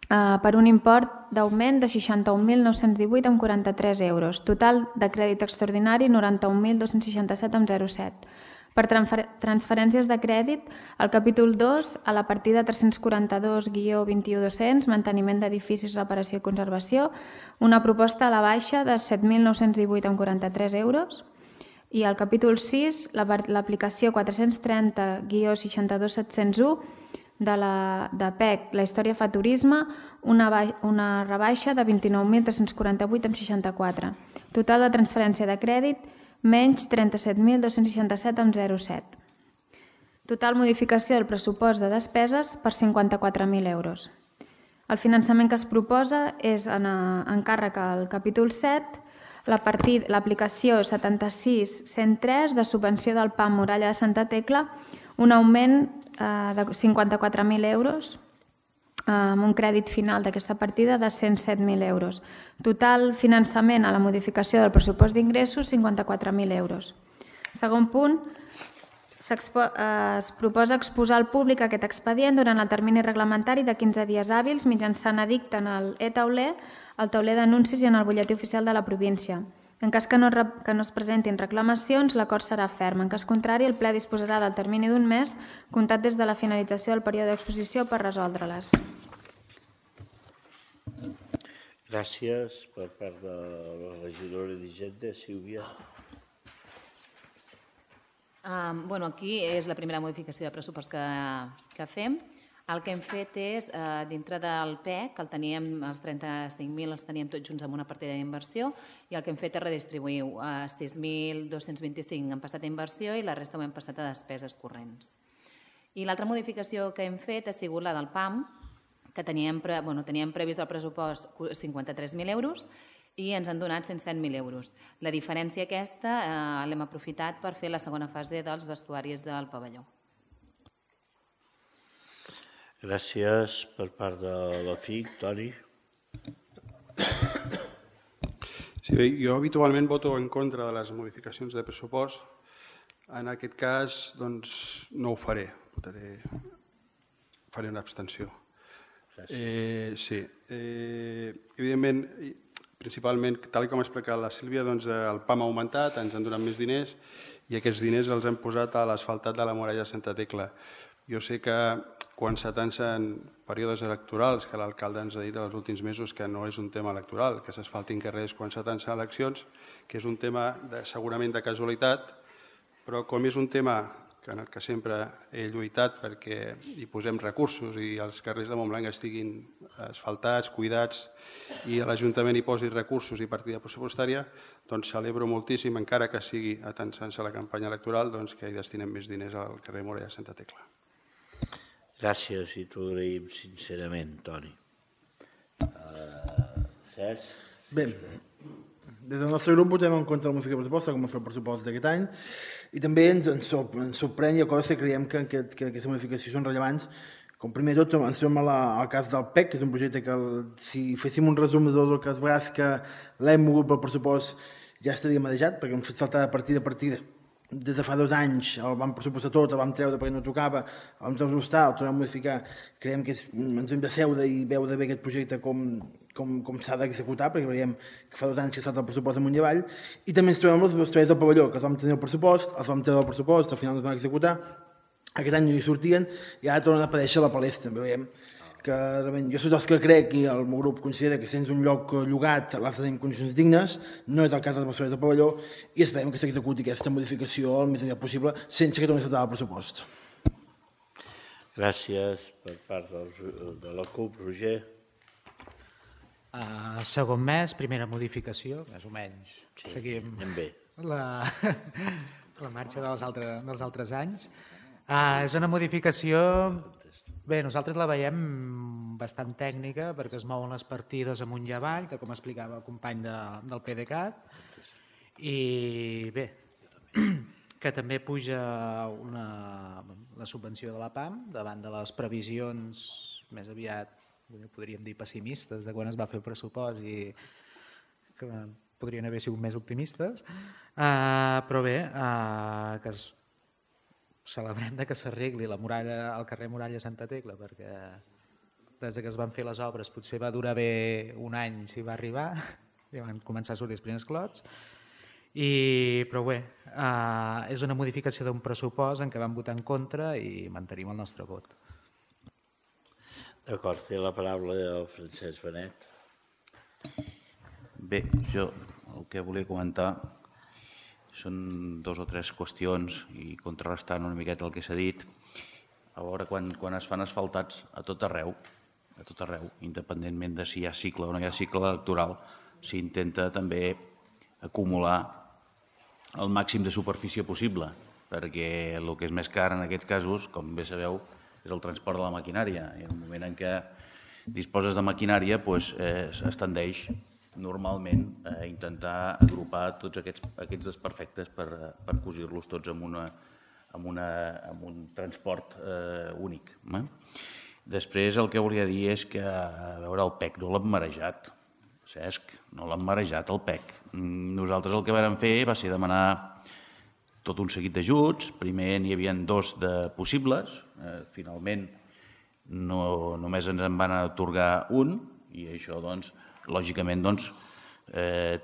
per un import d'augment de 61.918,43 euros. Total de crèdit extraordinari 91.267,07. Per transferències de crèdit, al capítol 2, a la partida 342-21200, manteniment d'edificis, reparació i conservació, una proposta a la baixa de 7.918,43 euros. I al capítol 6, l'aplicació 430-62701 de PEC, la història fa turisme, una rebaixa de 29.348,64. Total de transferència de crèdit, menys 37.267,07. Total modificació del pressupost de despeses per 54.000 euros. El finançament que es proposa és en encàrrec al capítol 7, l'aplicació 76.103 de subvenció del PAM Muralla de Santa Tecla, un augment de 54.000 euros, amb un crèdit final d'aquesta partida de 107.000 euros. Total finançament a la modificació del pressupost d'ingressos, 54.000 euros. Segon punt, es proposa exposar al públic aquest expedient durant el termini reglamentari de 15 dies hàbils mitjançant edicte en el e-tauler, el tauler d'anuncis i en el butlletí oficial de la província. En cas que no es presentin reclamacions, l'acord serà ferm. En cas contrari, el ple disposarà del termini d'un mes comptat des de la finalització del període d'exposició per resoldre-les. Gràcies per part de la regidora d'Hisenda, Sílvia. Aquí és la primera modificació de pressupost que fem. El que hem fet és, dintre del PEC, els 35.000 els teníem tots junts amb una partida d'inversió i el que hem fet és redistribuir 6.225 han passat a inversió i la resta ho hem passat a despeses corrents. I l'altra modificació que hem fet ha sigut la del PAM, que teníem previst al pressupost 53.000 euros i ens han donat 107.000 euros. La diferència aquesta l'hem aprofitat per fer la segona fase dels vestuaris del pavelló. Gràcies per part de la FIC. Toni. Sí, bé, jo habitualment voto en contra de les modificacions de pressupost. En aquest cas, doncs, no ho faré. Faré una abstenció. Gràcies. Sí. Evidentment, principalment, tal com ha explicat la Sílvia, doncs, el PAM ha augmentat, ens han donat més diners i aquests diners els hem posat a l'asfaltat de la muralla de Santa Tecla. Jo sé que quan s'atancen períodes electorals, que l'alcalde ens ha dit els últims mesos que no és un tema electoral, que s'asfaltin carrers quan s'atancen eleccions, que és un tema segurament de casualitat, però com és un tema en el que sempre he lluitat perquè hi posem recursos i els carrers de Montblanc estiguin asfaltats, cuidats i l'Ajuntament hi posi recursos i partida pressupostària, doncs celebro moltíssim, encara que sigui atansant-se a la campanya electoral, doncs que hi destinem més diners al carrer Muralla de Santa Tecla. Gràcies i t'ho agraïm sincerament, Toni. Cesc? Bé, des del nostre grup votem en contra de la modificació de pressupost, com a fer el pressupost d'aquest any, i també ens sorprèn i a coses que creiem que aquestes modificacions són rellevants. Com primer de tot, ens trobem al cas del PEC, que és un projecte que, si féssim un resum de tot el que es braç que l'hem mogut pel pressupost, ja estaria madejat, perquè hem fet saltar de partida a partida des de fa 2 anys el vam pressupostar tot, el vam treure perquè no tocava, el vam pressupostar, el tornem a modificar, creiem que ens hem de seure i veure bé aquest projecte com s'ha d'executar, perquè veiem que fa 2 anys que ha estat el pressupost amunt i avall, i també ens trobem amb els vestuaris del pavelló, que els vam tenir el pressupost, els vam treure el pressupost, al final no es van executar, aquest any no hi sortien, i ara tornen a aparèixer a la palestra, veiem que jo soc dels que crec i el meu grup considera que sense un lloc llogat l'has de tenir en condicions dignes, no és el cas dels vestuaris del pavelló, i esperem que s'executi aquesta modificació el més aviat possible sense que torni a saltar el pressupost. Gràcies per part de la CUP. Roger. Segon mes, primera modificació, més o menys. Seguim la marxa dels altres anys. És una modificació... Bé, nosaltres la veiem bastant tècnica perquè es mouen les partides amunt i avall, que com explicava el company del PDeCAT, i bé, que també puja la subvenció de la PAM davant de les previsions més aviat, podríem dir pessimistes, de quan es va fer el pressupost i que podrien haver sigut més optimistes, però bé, que celebrem que s'arregli el carrer Muralla Santa Tecla, perquè des que es van fer les obres potser va durar bé un any si va arribar, i van començar a sortir els primers clots, però bé, és una modificació d'un pressupost en què vam votar en contra i mantenim el nostre vot. D'acord, té la paraula el Francesc Benet. Bé, jo el que volia comentar són 2 o 3 qüestions i contrarrestant una miqueta el que s'ha dit. A veure, quan es fan asfaltats a tot arreu, independentment de si hi ha cicle o no hi ha cicle electoral, s'intenta també acumular el màxim de superfície possible, perquè el que és més car en aquests casos, com bé sabeu, és el transport de la maquinària. I en el moment en què disposes de maquinària, es tendeix normalment a intentar agrupar tots aquests desperfectes per cosir-los tots amb un transport únic. Després el que volia dir és que, a veure, el PEC no l'hem marejat, Cesc, no l'hem marejat el PEC. Nosaltres el que vam fer va ser demanar tot un seguit d'ajuts. Primer n'hi havia 2 de possibles, finalment només ens en van atorgar un, i això, lògicament,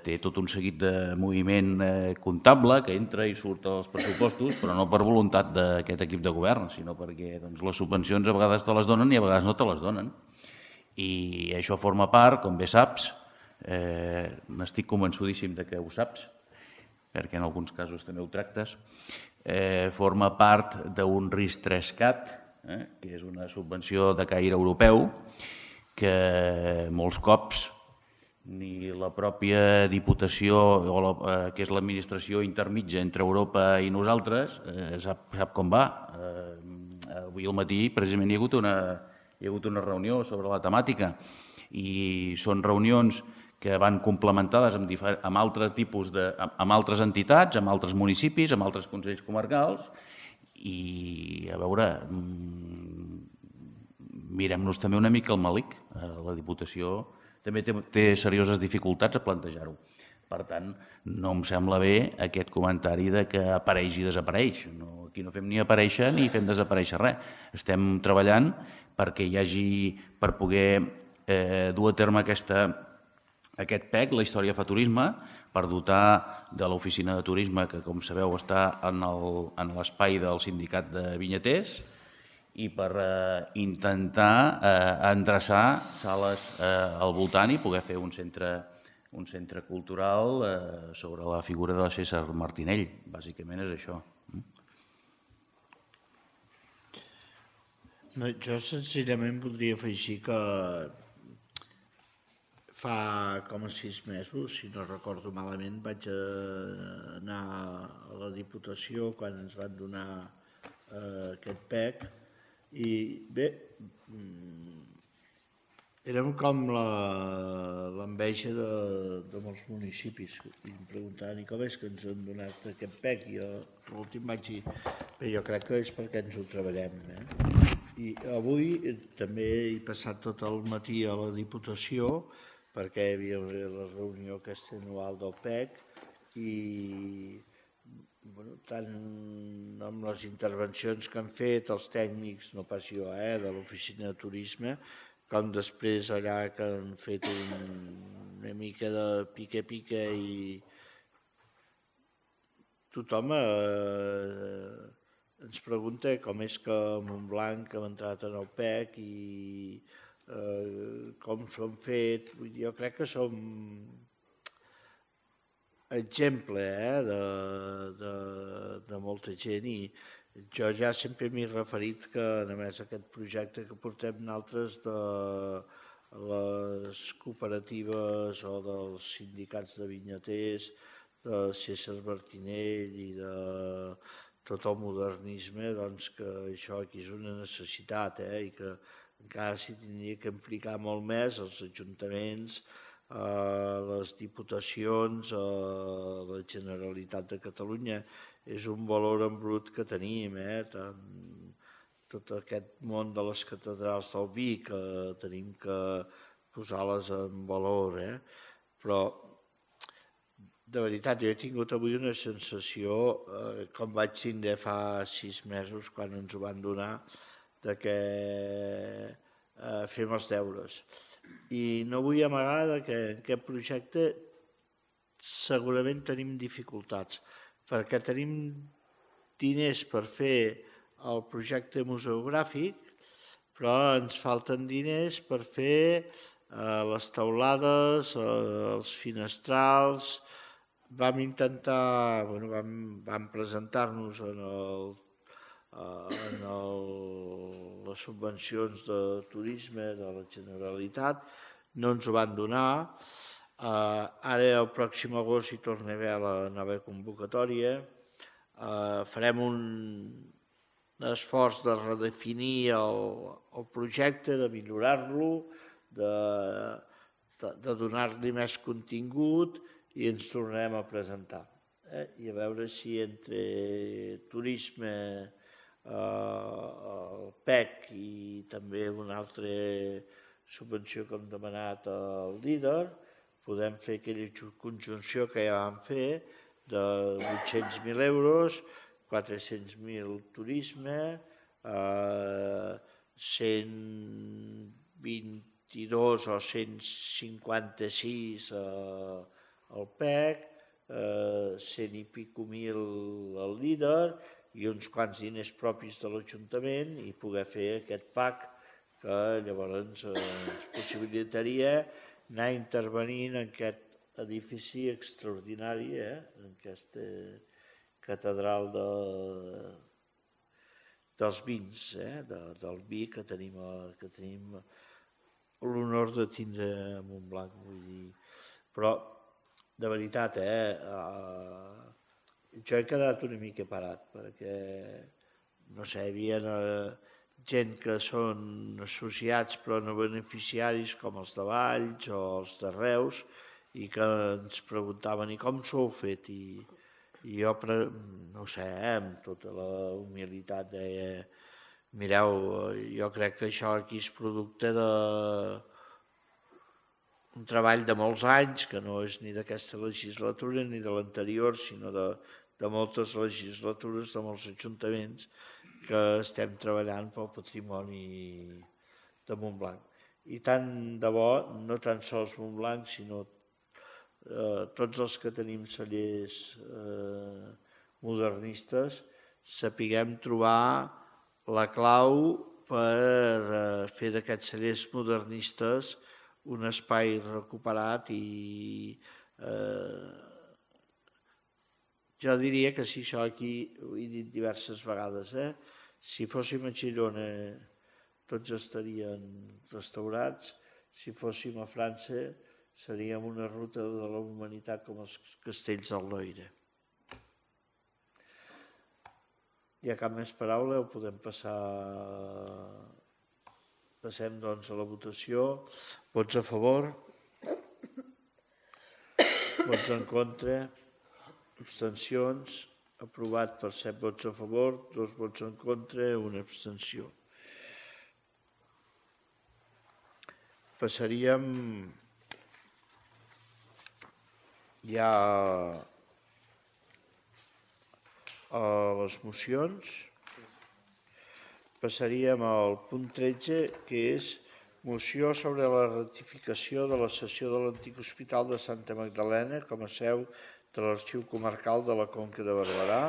té tot un seguit de moviment comptable que entra i surt als pressupostos, però no per voluntat d'aquest equip de govern, sinó perquè les subvencions a vegades te les donen i a vegades no te les donen. I això forma part, com bé saps, n'estic convençudíssim que ho saps, perquè en alguns casos també ho tractes, forma part d'un RIS3CAT, que és una subvenció de caire europeu, que molts cops ni la pròpia Diputació, que és l'administració intermitja entre Europa i nosaltres, sap com va. Avui al matí precisament hi ha hagut una reunió sobre la temàtica i són reunions que van complementades amb altres entitats, amb altres municipis, amb altres consells comarcals i, a veure, mirem-nos també una mica el melic. La Diputació també té serioses dificultats a plantejar-ho. Per tant, no em sembla bé aquest comentari de que apareix i desapareix. Aquí no fem ni aparèixer ni fem desaparèixer res. Estem treballant perquè hi hagi, per poder dur a terme aquest PEC, la història fa turisme, per dotar de l'oficina de turisme, que com sabeu està en l'espai del sindicat de vinyaters, i per intentar endreçar sales al voltant i poder fer un centre cultural sobre la figura de César Martinell. Bàsicament és això. Jo senzillament voldria afegir que fa com a 6 mesos, si no recordo malament, vaig anar a la Diputació quan ens van donar aquest PEC. I bé, érem com l'enveja de molts municipis i em preguntaven com és que ens han donat aquest PEC i l'últim vaig dir bé, jo crec que és perquè ens ho treballem. I avui també he passat tot el matí a la Diputació perquè hi havia la reunió aquesta anual del PEC i tant amb les intervencions que han fet els tècnics, no pas jo, de l'oficina de turisme, com després allà que han fet una mica de pique-pique i tothom ens pregunta com és que Montblanc hem entrat en el PEC i com s'ho han fet. Jo crec que som exemple de molta gent i jo ja sempre m'he referit que només aquest projecte que portem nosaltres de les cooperatives o dels sindicats de vinyaters, de César Martinell i de tot el modernisme, doncs que això aquí és una necessitat i que encara s'hi tindria que implicar molt més els ajuntaments, les diputacions, la Generalitat de Catalunya. És un valor en brut que tenim, tot aquest món de les catedrals del vi, que tenim que posar-les en valor. Però, de veritat, jo he tingut avui una sensació, com vaig tindre fa 6 mesos, quan ens ho van donar, que fem els deures. I no vull amagar que en aquest projecte segurament tenim dificultats, perquè tenim diners per fer el projecte museogràfic, però ens falten diners per fer les teulades, els finestrals. Vam intentar, vam presentar-nos en les subvencions de turisme de la Generalitat, no ens ho van donar. Ara, el pròxim agost, hi torna a haver la nova convocatòria. Farem un esforç de redefinir el projecte, de millorar-lo, de donar-li més contingut i ens tornarem a presentar. I a veure si entre turisme, el PEC i també una altra subvenció que hem demanat al líder, podem fer aquella conjunció que ja vam fer de 800.000 euros, 400.000 turisme, 122 o 156 al PEC, 100 i pico mil al líder i uns quants diners propis de l'Ajuntament i poder fer aquest PAC que llavors ens possibilitaria anar intervenint en aquest edifici extraordinari, en aquesta catedral dels vins, del vi que tenim l'honor de tindre a Montblanc. Però, de veritat, jo he quedat una mica parat, perquè, no sé, hi havia gent que són associats però no beneficiaris, com els de Valls o els de Reus, i que ens preguntaven i com s'ho heu fet? I jo, no sé, amb tota la humilitat deia, mireu, jo crec que això aquí és producte d'un treball de molts anys, que no és ni d'aquesta legislatura ni de l'anterior, sinó de moltes legislatures, de molts ajuntaments, que estem treballant pel patrimoni de Montblanc. I tant de bo, no tan sols Montblanc, sinó tots els que tenim cellers modernistes, sapiguem trobar la clau per fer d'aquests cellers modernistes un espai recuperat i jo diria que si això aquí, ho he dit diverses vegades, si fóssim a Girona tots estarien restaurats, si fóssim a França seríem una ruta de la humanitat com els castells del Loira. Hi ha cap més paraula o podem passar... Passem doncs a la votació. Vots a favor? Vots en contra? Abstencions? Aprovat per 7 vots a favor, 2 vots en contra, una abstenció. Passaríem ja a les mocions. Passaríem al punt 13, que és moció sobre la ratificació de la cessió de l'antic Hospital de Santa Magdalena com a seu de l'Arxiu Comarcal de la Conca de Barberà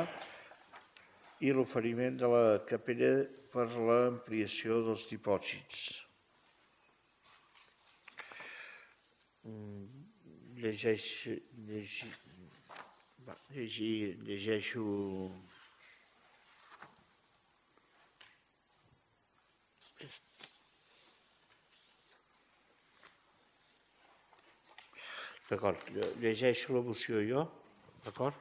i l'oferiment de la capella per l'ampliació dels dipòsits. Llegeixo d'acord, llegeixo la moció jo, d'acord?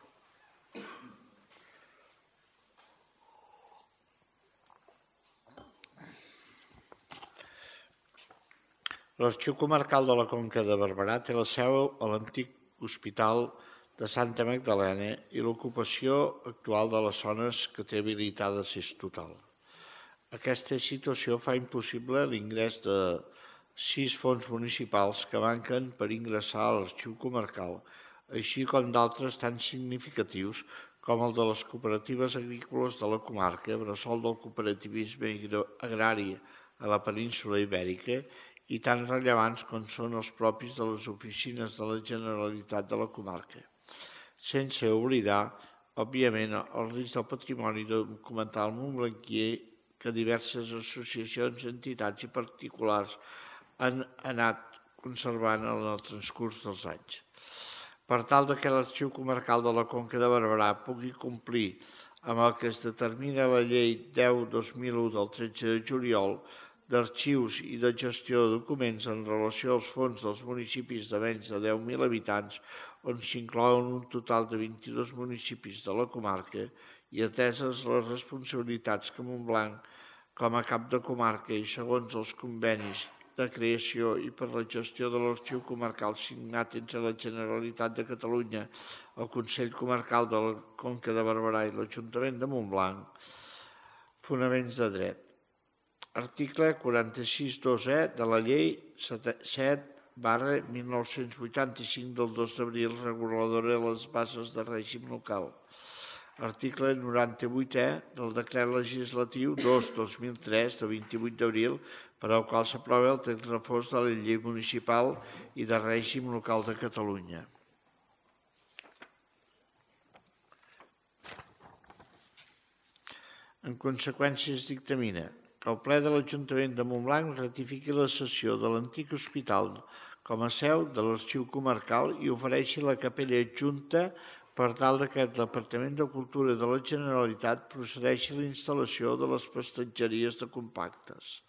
L'Arxiu Comarcal de la Conca de Barberà té la seu a l'antic Hospital de Santa Magdalena i l'ocupació actual de les zones que té habilitades és total. Aquesta situació fa impossible l'ingrés de 6 fons municipals que manquen per ingressar a l'Arxiu Comarcal, així com d'altres tan significatius com el de les cooperatives agrícoles de la comarca, bressol del cooperativisme agrari a la península Ibèrica, i tan rellevants com són els propis de les oficines de la Generalitat de la comarca. Sense oblidar, òbviament, el risc del patrimoni documental montblanquier que diverses associacions, entitats i particulars han anat conservant en el transcurs dels anys. Per tal que l'Arxiu Comarcal de la Conca de Barberà pugui complir amb el que es determina a la Llei 10/2001 del 13 de juliol d'arxius i de gestió de documents en relació als fons dels municipis de menys de 10.000 habitants, on s'inclouen un total de 22 municipis de la comarca i ateses les responsabilitats que Montblanc, com a cap de comarca i segons els convenis de creació i per la gestió de l'Arxiu Comarcal signat entre la Generalitat de Catalunya, el Consell Comarcal de la Conca de Barberà i l'Ajuntament de Montblanc, fonaments de dret. Article 46.2e de la Llei 7/1985 del 2 d'abril reguladora de les bases de règim local. Article 98e del Decret Legislatiu 2/2003 de 28 d'abril per al qual s'aprova el text refós de la Llei Municipal i de Règim Local de Catalunya. En conseqüència, es dictamina que el ple de l'Ajuntament de Montblanc ratifiqui la cessió de l'antic hospital com a seu de l'Arxiu Comarcal i ofereixi la capella adjunta per tal que el Departament de Cultura de la Generalitat procedeixi a la instal·lació de les prestatgeries de compactes.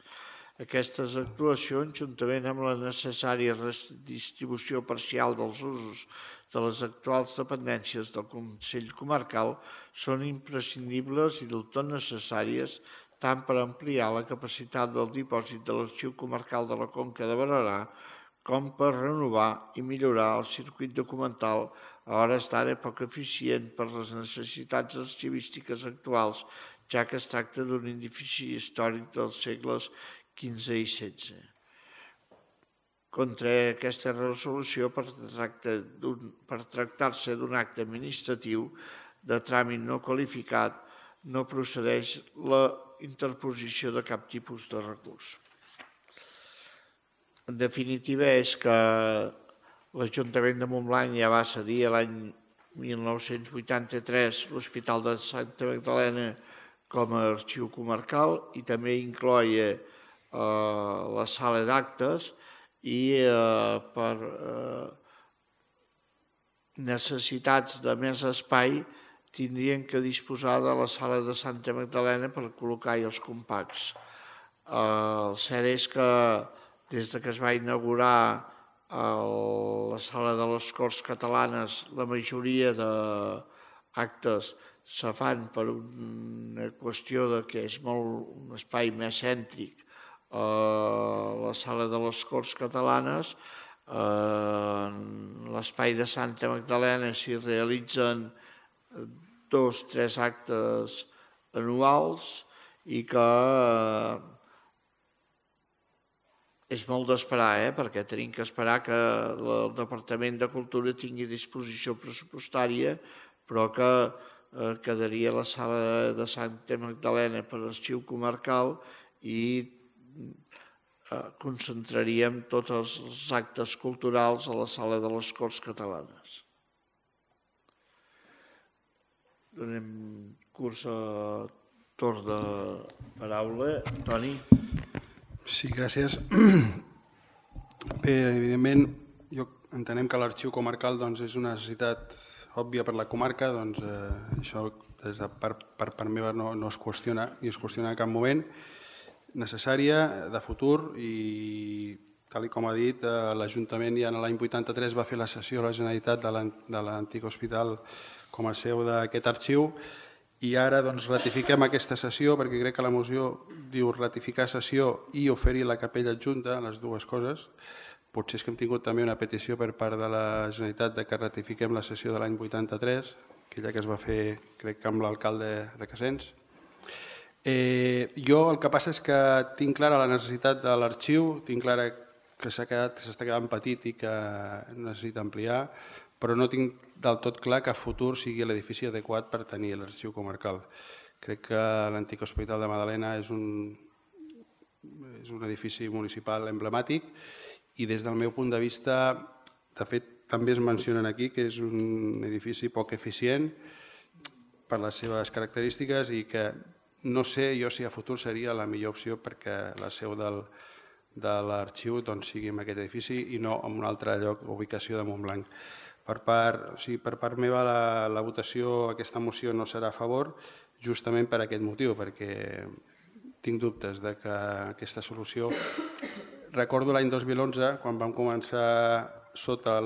Aquestes actuacions, juntament amb la necessària redistribució parcial dels usos de les actuals dependències del Consell Comarcal, són imprescindibles i del tot necessàries tant per ampliar la capacitat del dipòsit de l'Arxiu Comarcal de la Conca de Barberà com per renovar i millorar el circuit documental a hores d'ara poc eficient per les necessitats arxivístiques actuals, ja que es tracta d'un edifici històric dels segles XV i XVI. Contra aquesta resolució, per tractar-se d'un acte administratiu de tràmit no qualificat, no procedeix la interposició de cap tipus de recurs. En definitiva, és que l'Ajuntament de Montblanc ja va cedir l'any 1983 l'Hospital de Santa Magdalena com a arxiu comarcal i també incloia la sala d'actes i per necessitats de més espai tindrien que disposar de la sala de Santa Magdalena per col·locar-hi els compacts. El cert és que des que es va inaugurar la sala de les Corts Catalanes, la majoria d'actes se fan per una qüestió que és un espai més cèntric. La sala de les Corts Catalanes, l'espai de Santa Magdalena s'hi realitzen 2 o 3 actes anuals i que és molt d'esperar, perquè tenim que esperar que el Departament de Cultura tingui disposició pressupostària, però que quedaria la sala de Santa Magdalena per arxiu comarcal i concentraríem tots els actes culturals a la sala de les Corts Catalanes. Donem curs a torn de paraula. Toni? Sí, gràcies. Bé, evidentment, entenem que l'arxiu comarcal és una necessitat òbvia per la comarca, això per part meva no es qüestiona ni es qüestiona en cap moment, necessària, de futur, i tal com ha dit, l'Ajuntament ja l'any 83 va fer la cessió a la Generalitat de l'antic hospital com a seu d'aquest arxiu, i ara ratifiquem aquesta cessió, perquè crec que la moció diu ratificar cessió i oferir la capella adjunta, les dues coses. Potser és que hem tingut també una petició per part de la Generalitat de que ratifiquem la cessió de l'any 83, aquella que es va fer, crec que amb l'alcalde Requesens. Jo el que passa és que tinc clara la necessitat de l'arxiu, tinc clara que s'està quedant petit i que necessita ampliar, però no tinc del tot clar que a futur sigui l'edifici adequat per tenir l'arxiu comarcal. Crec que l'antic Hospital de Magdalena és un edifici municipal emblemàtic i des del meu punt de vista, de fet, també es mencionen aquí que és un edifici poc eficient per les seves característiques i que no sé jo si a futur seria la millor opció perquè la seu de l'arxiu sigui en aquest edifici i no en un altre lloc, ubicació de Montblanc. Per part meva, la votació a aquesta moció no serà a favor, justament per aquest motiu, perquè tinc dubtes de que aquesta solució... Recordo l'any 2011, quan vam començar sota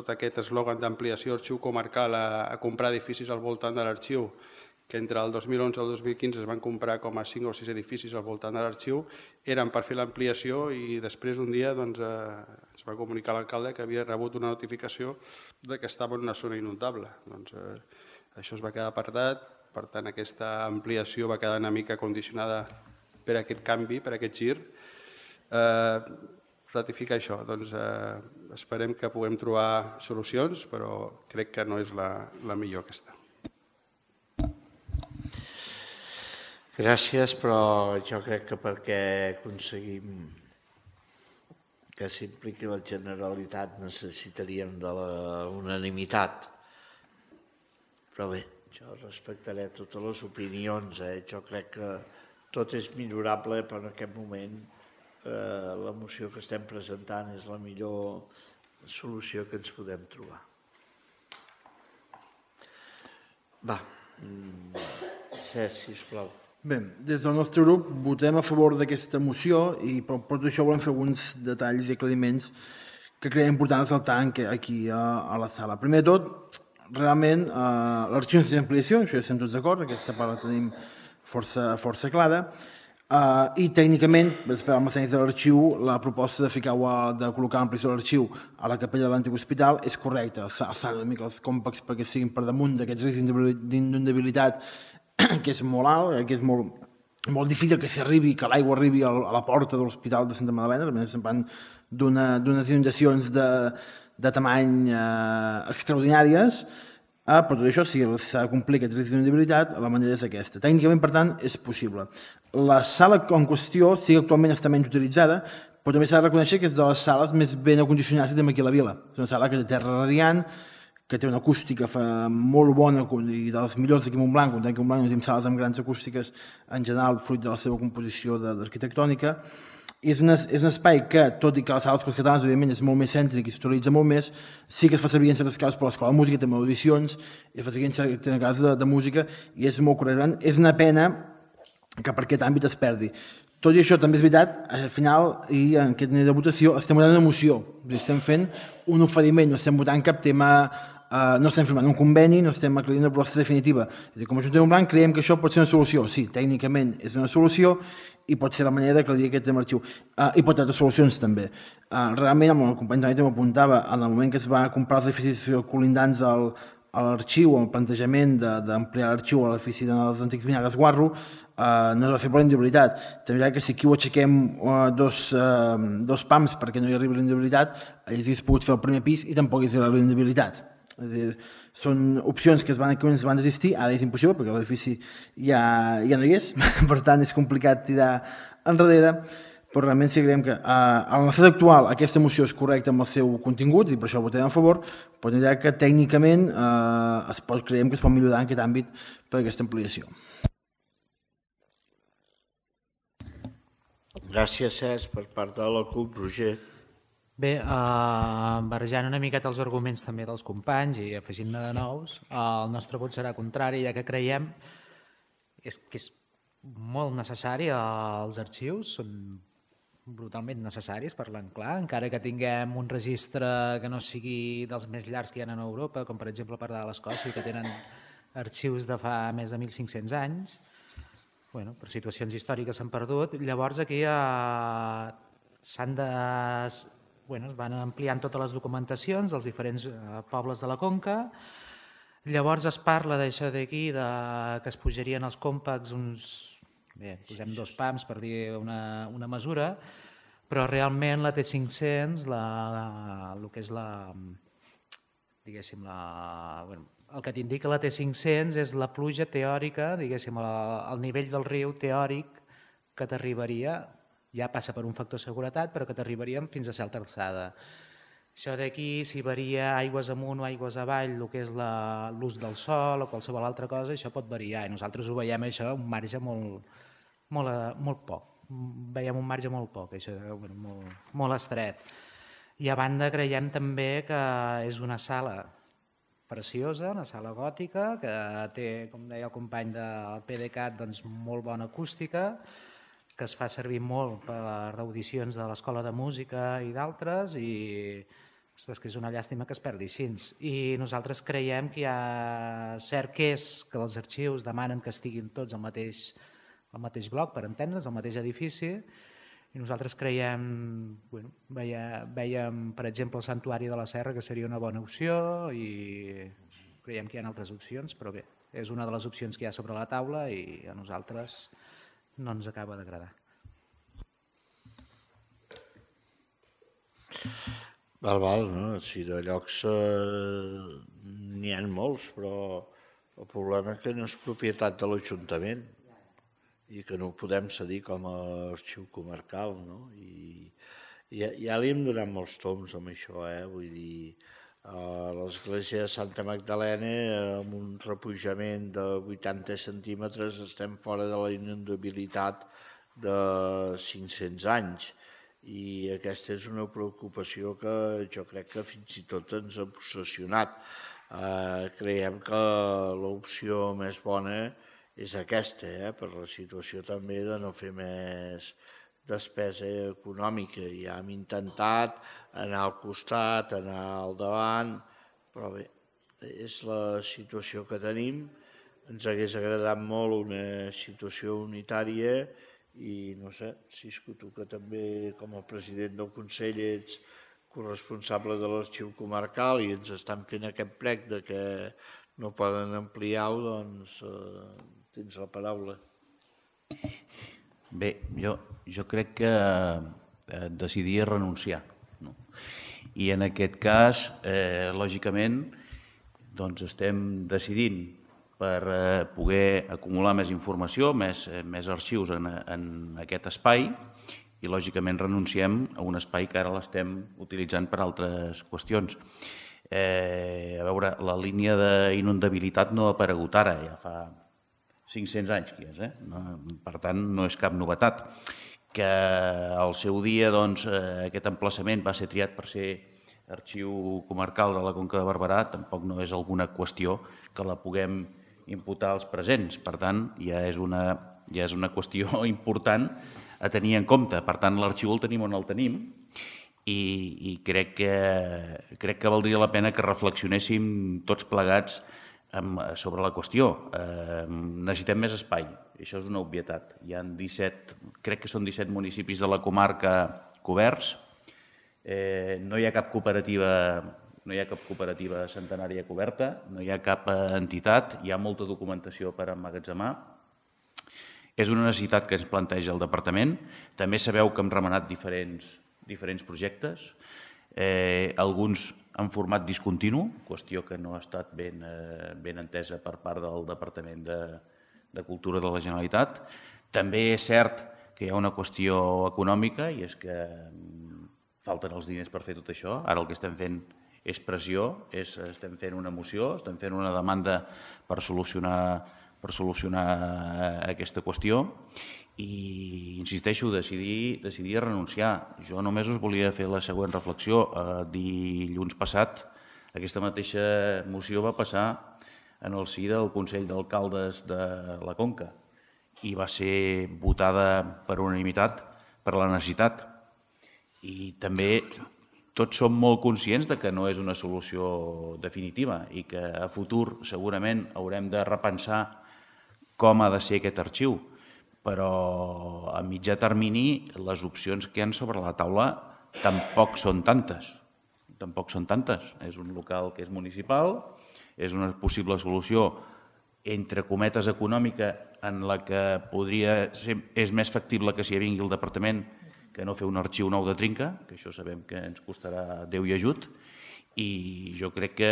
aquest eslògan d'ampliació arxiu comarcal a comprar edificis al voltant de l'arxiu, que entre el 2011 i el 2015 es van comprar com a 5 o 6 edificis al voltant de l'arxiu, eren per fer l'ampliació i després un dia es va comunicar a l'alcalde que havia rebut una notificació que estava en una zona inundable. Això es va quedar apartat, per tant aquesta ampliació va quedar una mica condicionada per aquest canvi, per aquest gir. Ratificar això, esperem que puguem trobar solucions, però crec que no és la millor aquesta. Gràcies, però jo crec que perquè aconseguim que s'impliqui la Generalitat necessitaríem de la unanimitat. Però bé, jo respectaré totes les opinions. Jo crec que tot és millorable, però en aquest moment la moció que estem presentant és la millor solució que ens podem trobar. Va, Cesc, sisplau. Bé, des del nostre grup votem a favor d'aquesta moció i per tot això volem fer alguns detalls i aclariments que creiem important ressaltar aquí a la sala. Primer de tot, realment l'arxiu necessita ampliació, això ja estem tots d'acord, aquesta part la tenim força clara, i tècnicament, amb els tècnics de l'arxiu, la proposta de col·locar l'ampliació de l'arxiu a la capella de l'antic hospital és correcta, alçant una mica els còmpacs perquè siguin per damunt d'aquests riscs d'inundabilitat que és molt alt, que és molt difícil que l'aigua arribi a la porta de l'Hospital de Santa Magdalena, estem parlant d'unes inundacions de tamany extraordinàries, per tot això, si s'ha de complir aquest risc d'inundabilitat, la manera és aquesta. Tècnicament, per tant, és possible. La sala en qüestió sí que actualment està menys utilitzada, però també s'ha de reconèixer que és de les sales més ben acondicionades que tenim aquí a la vila. És una sala que té terra radiant, que té una acústica molt bona i de les millors d'aquí a Montblanc, comptant que a Montblanc tenim sales amb grans acústiques en general, fruit de la seva composició d'arquitectònica. És un espai que, tot i que les sales catalanes, evidentment, és molt més cèntric i s'utilitza molt més, sí que es fa servir en certes casos per l'Escola de Música, també audicions, i es fa servir en certes casos de música, i és molt correcte. És una pena que per aquest àmbit es perdi. Tot i això, també és veritat, al final, i en aquest nivell de votació, estem votant una moció, estem fent un oferiment, no estem votant cap tema, no estem firmant un conveni, no estem aclarint una proposta definitiva. Com a Ajuntament de Montblanc creiem que això pot ser una solució. Sí, tècnicament és una solució i pot ser la manera d'aclarir aquest tema arxiu. I pot tenir altres solucions també. Realment, el company també m'apuntava, en el moment que es va comprar els edificis colindants a l'arxiu, el plantejament d'ampliar l'arxiu a l'edifici dels antics vinagres Guarro, no es va fer per la inundabilitat. També que si aquí ho aixequem dos pams perquè no hi arribi la inundabilitat, hagués pogut fer el primer pis i tampoc hi arribi la inundabilitat. És a dir, són opcions que es van desistir, ara és impossible perquè l'edifici ja no hi és, per tant és complicat tirar enrere, però realment sí creiem que a l'estat actual aquesta moció és correcta amb el seu contingut i per això votarem a favor, però tindrà que tècnicament creiem que es pot millorar en aquest àmbit per aquesta ampliació. Gràcies, Cesc, per part de la CUP, Roger. Bé, barrejant una miqueta els arguments també dels companys i afegint-ne de nous, el nostre vot serà contrari, ja que creiem que és molt necessari, els arxius són brutalment necessaris, parlant clar, encara que tinguem un registre que no sigui dels més llargs que hi ha a Europa, com per exemple parlar de l'Escòcia, que tenen arxius de fa més de 1.500 anys, bueno, per situacions històriques s'han perdut. Llavors aquí es van ampliant totes les documentacions dels diferents pobles de la Conca. Llavors es parla d'això d'aquí, que es pujarien els compacts posem 2 pams per dir una mesura, però realment la T500, el que és el que t'indica la T500 és la pluja teòrica, diguéssim, el nivell del riu teòric que t'arribaria, ja passa per un factor de seguretat, però que t'arribaríem fins a certa alçada. Això d'aquí, si varia aigües amunt o aigües avall, el que és l'ús del sol o qualsevol altra cosa, això pot variar. I nosaltres ho veiem això un marge molt poc. Veiem un marge molt poc, això, molt estret. I a banda creiem també que és una sala preciosa, una sala gòtica, que té, com deia el company del PDeCAT, molt bona acústica, que es fa servir molt per les audicions de l'Escola de Música i d'altres, i que és una llàstima que es perdi així. I nosaltres creiem que hi ha cert que és que els arxius demanen que estiguin tots al mateix bloc, per entendre's, al mateix edifici, i nosaltres creiem, veiem per exemple el Santuari de la Serra, que seria una bona opció, i creiem que hi ha altres opcions, però bé, és una de les opcions que hi ha sobre la taula i a nosaltres no ens acaba d'agradar. Val, no? Si de llocs n'hi ha molts, però el problema és que no és propietat de l'Ajuntament i que no ho podem cedir com a arxiu comarcal, no? I ja li hem donat molts toms amb això, vull dir, a l'església de Santa Magdalena, amb un repujament de 80 centímetres, estem fora de la inundabilitat de 500 anys. I aquesta és una preocupació que jo crec que fins i tot ens ha obsessionat. Creiem que l'opció més bona és aquesta, per la situació també de no fer més despesa econòmica. Ja hem intentat anar al costat, anar al davant, però bé, és la situació que tenim. Ens hagués agradat molt una situació unitària i no sé, si és que tu que també com a president del Consell ets corresponsable de l'arxiu comarcal i ens estan fent aquest prec de que no poden ampliar-ho, doncs tens la paraula. Bé, jo crec que decidir és renunciar. I en aquest cas, lògicament, doncs estem decidint per poder acumular més informació, més arxius en aquest espai i, lògicament, renunciem a un espai que ara l'estem utilitzant per altres qüestions. A veure, la línia d'inundabilitat no ha aparegut ara, ja fa 500 anys que és, per tant, no és cap novetat. Que al seu dia aquest emplaçament va ser triat per ser arxiu comarcal de la Conca de Barberà, tampoc no és alguna qüestió que la puguem imputar als presents. Per tant, ja és una qüestió important a tenir en compte. Per tant, l'arxiu el tenim on el tenim i crec que valdria la pena que reflexionéssim tots plegats sobre la qüestió. Necessitem més espai, això és una obvietat. Hi ha 17, crec que són 17 municipis de la comarca coberts. No hi ha cap cooperativa centenària coberta, no hi ha cap entitat, hi ha molta documentació per emmagatzemar. És una necessitat que ens planteja el departament. També sabeu que hem remenat diferents projectes. alguns en format discontinu, qüestió que no ha estat ben entesa per part del Departament de Cultura de la Generalitat. També és cert que hi ha una qüestió econòmica i és que falten els diners per fer tot això. Ara el que estem fent és pressió, estem fent una moció, estem fent una demanda per solucionar aquesta qüestió i, insisteixo, decidir a renunciar. Jo només us volia fer la següent reflexió. Dilluns passat aquesta mateixa moció va passar en el si del Consell d'Alcaldes de la Conca i va ser votada per unanimitat per la necessitat. I també tots som molt conscients de que no és una solució definitiva i que a futur segurament haurem de repensar com ha de ser aquest arxiu, però a mitjà termini les opcions que hi ha sobre la taula tampoc són tantes. És un local que és municipal, és una possible solució entre cometes econòmica en la que és més factible que s'hi vingui el departament que no fer un arxiu nou de trinca, que això sabem que ens costarà Déu i ajut, i jo crec que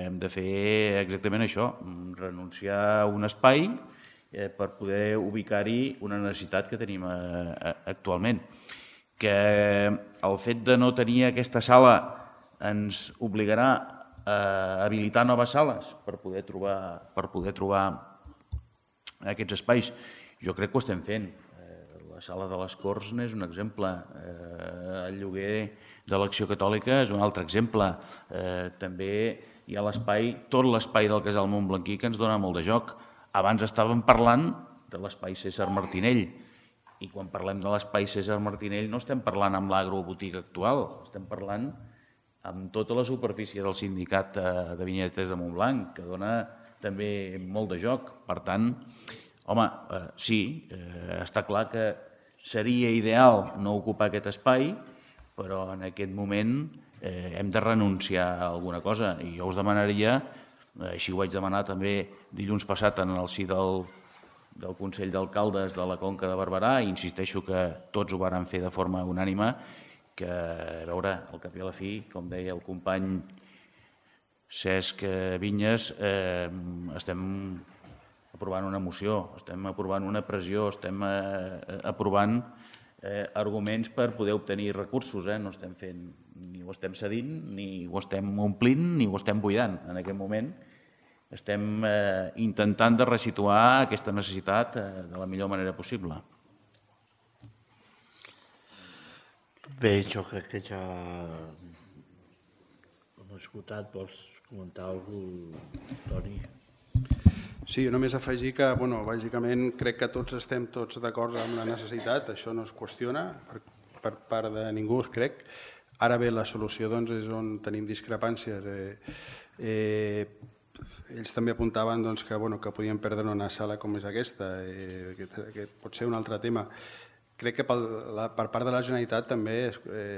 hem de fer exactament això, renunciar a un espai per poder ubicar-hi una necessitat que tenim actualment. Que el fet de no tenir aquesta sala ens obligarà a habilitar noves sales per poder trobar aquests espais. Jo crec que ho estem fent. La sala de les Corts n'és un exemple. El lloguer de l'Acció Catòlica és un altre exemple. També hi ha tot l'espai del Casal Montblanquí que ens dona molt de joc. Abans estàvem parlant de l'espai César Martinell i quan parlem de l'espai César Martinell no estem parlant amb l'agrobotiga actual, estem parlant amb tota la superfície del sindicat de vinyetes de Montblanc, que dona també molt de joc. Per tant, home, sí, està clar que seria ideal no ocupar aquest espai, però en aquest moment hem de renunciar a alguna cosa. I jo us demanaria, així ho vaig demanar també dilluns passat en el si del Consell d'Alcaldes de la Conca de Barberà, i insisteixo que tots ho varen fer de forma unànime, que, a veure, al cap i a la fi, com deia el company Cesc Vinyes, estem aprovant una moció, estem aprovant una pressió, estem aprovant arguments per poder obtenir recursos. No estem fent, ni ho estem cedint, ni ho estem omplint, ni ho estem buidant. En aquest moment estem intentant de resituar aquesta necessitat de la millor manera possible. Bé, jo crec que ja hem escoltat. Vols comentar alguna cosa, Toni? Sí, jo només afegir que, bàsicament, crec que tots estem d'acord amb la necessitat, això no es qüestiona per part de ningú, crec. Ara bé, la solució és on tenim discrepàncies. Ells també apuntaven que podien perdre una sala com és aquesta, que pot ser un altre tema. Crec que per part de la Generalitat també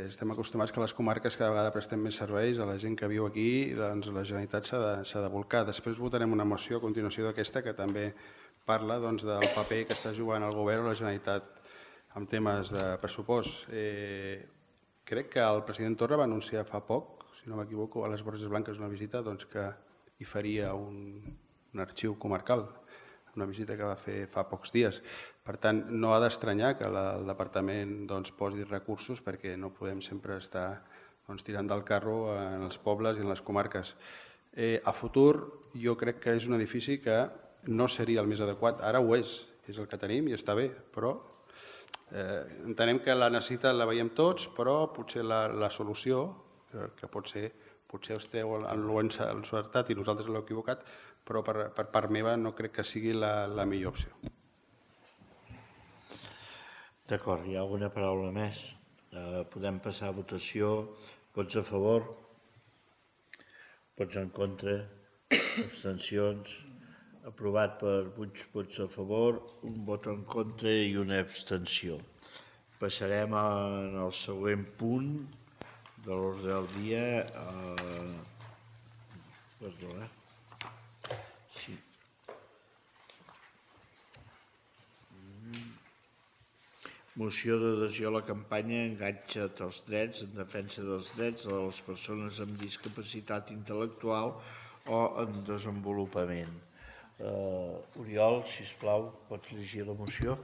estem acostumats que a les comarques cada vegada prestem més serveis a la gent que viu aquí, doncs la Generalitat s'ha de bolcar. Després votarem una moció a continuació d'aquesta que també parla del paper que està jugant el govern o la Generalitat en temes de pressupost. Crec que el president Torra va anunciar fa poc, si no m'equivoco, a les Borges Blanques una visita que hi faria un arxiu comarcal, una visita que va fer fa pocs dies. Per tant, no ha d'estranyar que el departament posi recursos perquè no podem sempre estar tirant del carro en els pobles i en les comarques. A futur, jo crec que és un edifici que no seria el més adequat. Ara ho és el que tenim i està bé, però entenem que la necessitat la veiem tots, però potser la solució, que potser esteu en l'encertat i nosaltres l'hem equivocat, però per part meva no crec que sigui la millor opció. D'acord, hi ha alguna paraula més? Podem passar a votació. Vots a favor? Vots en contra? Abstencions? Aprovat per 8 vots a favor, un vot en contra i una abstenció. Passarem al següent punt de l'ordre del dia. Perdó, Sí. Moció d'adhesió a la campanya Enganxa't als drets, en defensa dels drets de les persones amb discapacitat intel·lectual o en desenvolupament. Oriol, sisplau, pots llegir la moció?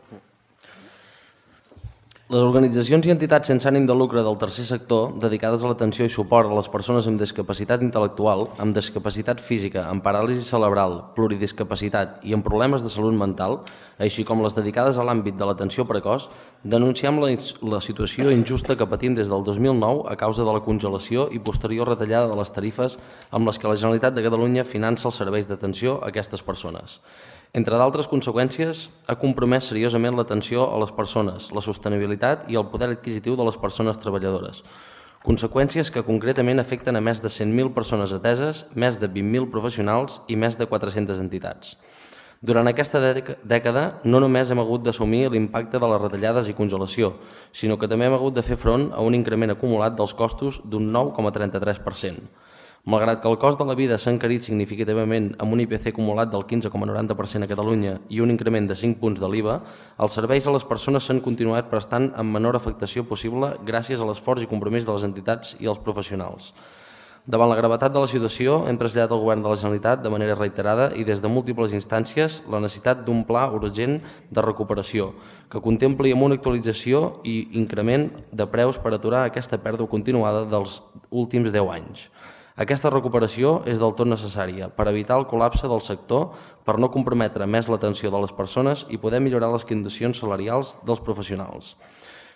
Les organitzacions i entitats sense ànim de lucre del tercer sector dedicades a l'atenció i suport a les persones amb discapacitat intel·lectual, amb discapacitat física, amb paràlisi cerebral, pluridiscapacitat i amb problemes de salut mental, així com les dedicades a l'àmbit de l'atenció precoç, denunciem la situació injusta que patim des del 2009 a causa de la congelació i posterior retallada de les tarifes amb les que la Generalitat de Catalunya finança els serveis d'atenció a aquestes persones. Entre d'altres conseqüències, ha compromès seriosament l'atenció a les persones, la sostenibilitat i el poder adquisitiu de les persones treballadores. Conseqüències que concretament afecten a més de 100.000 persones ateses, més de 20.000 professionals i més de 400 entitats. Durant aquesta dècada no només hem hagut d'assumir l'impacte de les retallades i congelació, sinó que també hem hagut de fer front a un increment acumulat dels costos d'un 9,33%. Malgrat que el cost de la vida s'ha encarit significativament amb un IPC acumulat del 15,90% a Catalunya i un increment de 5 punts de l'IVA, els serveis a les persones s'han continuat prestant amb menor afectació possible gràcies a l'esforç i compromís de les entitats i els professionals. Davant la gravetat de la situació, hem traslladat al Govern de la Generalitat de manera reiterada i des de múltiples instàncies la necessitat d'un pla urgent de recuperació que contempli amb una actualització i increment de preus per aturar aquesta pèrdua continuada dels últims 10 anys. Aquesta recuperació és del tot necessària per evitar el col·lapse del sector, per no comprometre més l'atenció de les persones i poder millorar les condicions salarials dels professionals.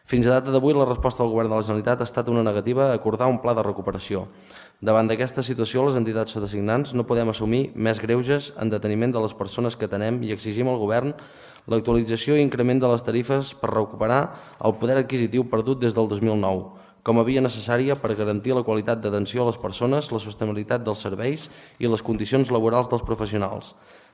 Fins a data d'avui, la resposta del Govern de la Generalitat ha estat una negativa a acordar un pla de recuperació. Davant d'aquesta situació, les entitats sotasignants no podem assumir més greuges en deteniment de les persones que atenem i exigim al Govern l'actualització i increment de les tarifes per recuperar el poder adquisitiu perdut des del 2009, com a via necessària per garantir la qualitat d'atenció a les persones, la sostenibilitat dels serveis i les condicions laborals dels professionals.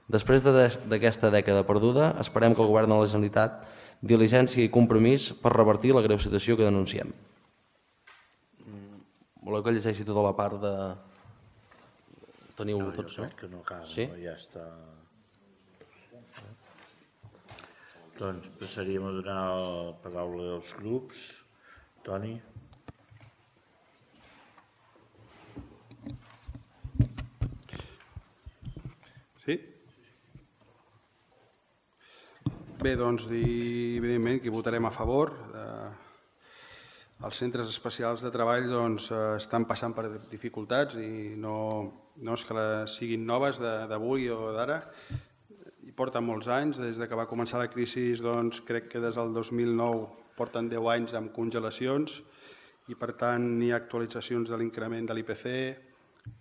Després d'aquesta dècada perduda, esperem que el Govern de la Generalitat diligència i compromís per revertir la greu situació que denunciem. Voleu que llegeixi tota la part de... Teniu tots, no? Que no cal, sí? Ja està. Doncs passaríem a donar la paraula als grups. Toni? Sí? Bé, doncs dir, evidentment, que votarem a favor. Els centres especials de treball doncs, estan passant per dificultats i no és que siguin noves d'avui o d'ara. Hi porten molts anys, des que va començar la crisi, doncs, crec que des del 2009 porten 10 anys amb congelacions i, per tant, hi ha actualitzacions de l'increment de l'IPC,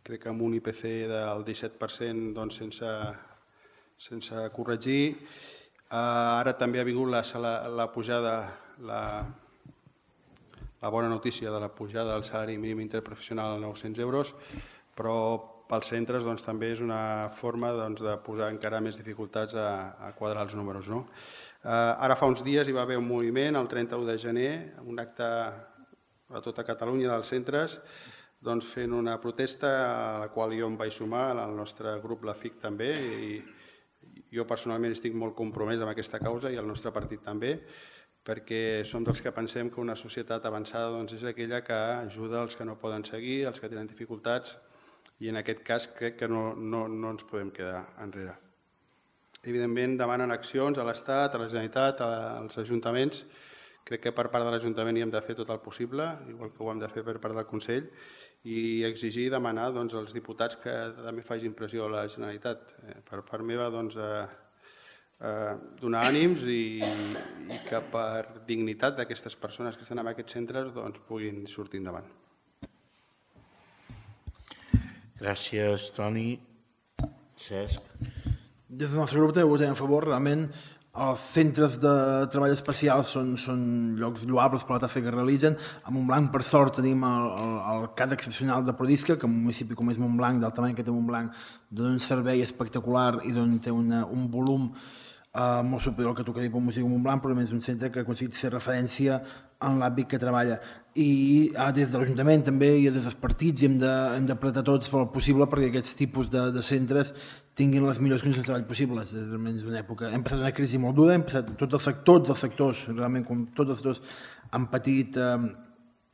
crec que amb un IPC del 17% doncs, sense corregir. Ara també ha vingut la pujada, la bona notícia de la pujada del salari mínim interprofessional a 900 euros, però pels centres doncs, també és una forma doncs, de posar encara més dificultats a quadrar els números. No? Ara fa uns dies hi va haver un moviment, el 31 de gener, un acte a tota Catalunya dels centres, doncs, fent una protesta a la qual jo em vaig sumar, el nostre grup, la FIC, també, i jo personalment estic molt compromès amb aquesta causa i el nostre partit també, perquè som dels que pensem que una societat avançada doncs, és aquella que ajuda els que no poden seguir, els que tenen dificultats, i en aquest cas crec que no ens podem quedar enrere. Evidentment demanen accions a l'Estat, a la Generalitat, als ajuntaments. Crec que per part de l'Ajuntament hi hem de fer tot el possible, igual que ho hem de fer per part del Consell, i exigir i demanar doncs, als diputats que també facin pressió a la Generalitat. Per part meva, doncs, donar ànims i que per dignitat d'aquestes persones que estan en aquests centres doncs, puguin sortir endavant. Gràcies, Toni. Cesc. Des del nostre grup també votem a favor. Realment, els centres de treball especial són llocs lloables per la tasca que realitzen. A Montblanc, per sort, tenim el CAT excepcional de Prodisca, que en un municipi com és Montblanc, del tamany que té Montblanc, dona un servei espectacular i té un volum molt superior al que tocaria per Música Montblanc, però és un centre que ha aconseguit ser referència en l'àmbit que treballa. I des de l'Ajuntament també i des dels partits hem d'apretar tots pel possible perquè aquests tipus de centres tinguin les millors condicions de treball possibles. És una època. Hem passat una crisi molt dura, hem passat tots els sectors, realment com tots els sectors han patit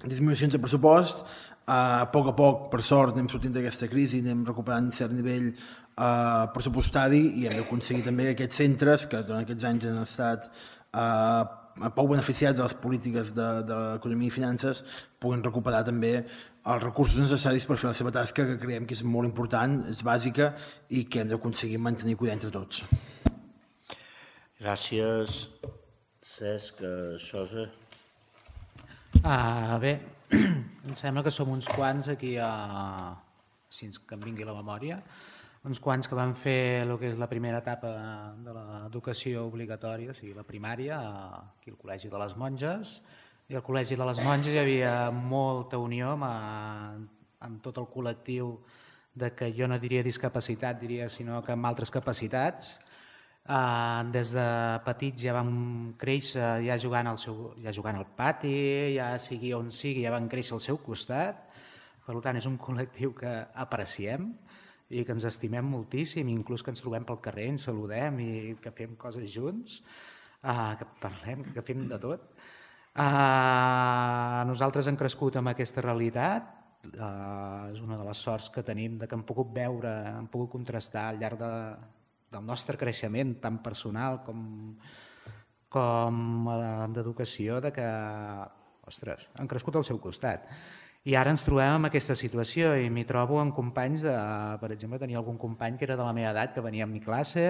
disminucions de pressupost. A poc, per sort, anem sortint d'aquesta crisi, anem recuperant cert nivell pressupostari i hem d'aconseguir també que aquests centres, que durant aquests anys han estat poc beneficiats de les polítiques de l'economia i finances, puguin recuperar també els recursos necessaris per fer la seva tasca, que creiem que és molt important, és bàsica i que hem d'aconseguir mantenir i cuidar entre tots. Gràcies. Cesc, Xosa. Bé, em sembla que som uns quants aquí, si que em vingui la memòria, uns quants que van fer el que és la primera etapa de l'educació obligatòria, o sigui, la primària, aquí al Col·legi de les Monges, i al Col·legi de les Monges hi havia molta unió amb tot el col·lectiu de que jo no diria discapacitat, diria sinó que amb altres capacitats. Des de petits ja vam créixer ja jugant al pati, ja sigui on sigui, ja van créixer al seu costat. Per tant, és un col·lectiu que apreciem i que ens estimem moltíssim, inclús que ens trobem pel carrer, ens saludem i que fem coses junts, que parlem, que fem de tot. Nosaltres hem crescut amb aquesta realitat, és una de les sorts que tenim de que hem pogut veure, hem pogut contrastar al llarg del nostre creixement, tant personal com d'educació, de que, ostres, han crescut al seu costat. I ara ens trobem en aquesta situació i m'hi trobo amb companys, per exemple, tenia algun company que era de la meva edat, que venia a mi classe,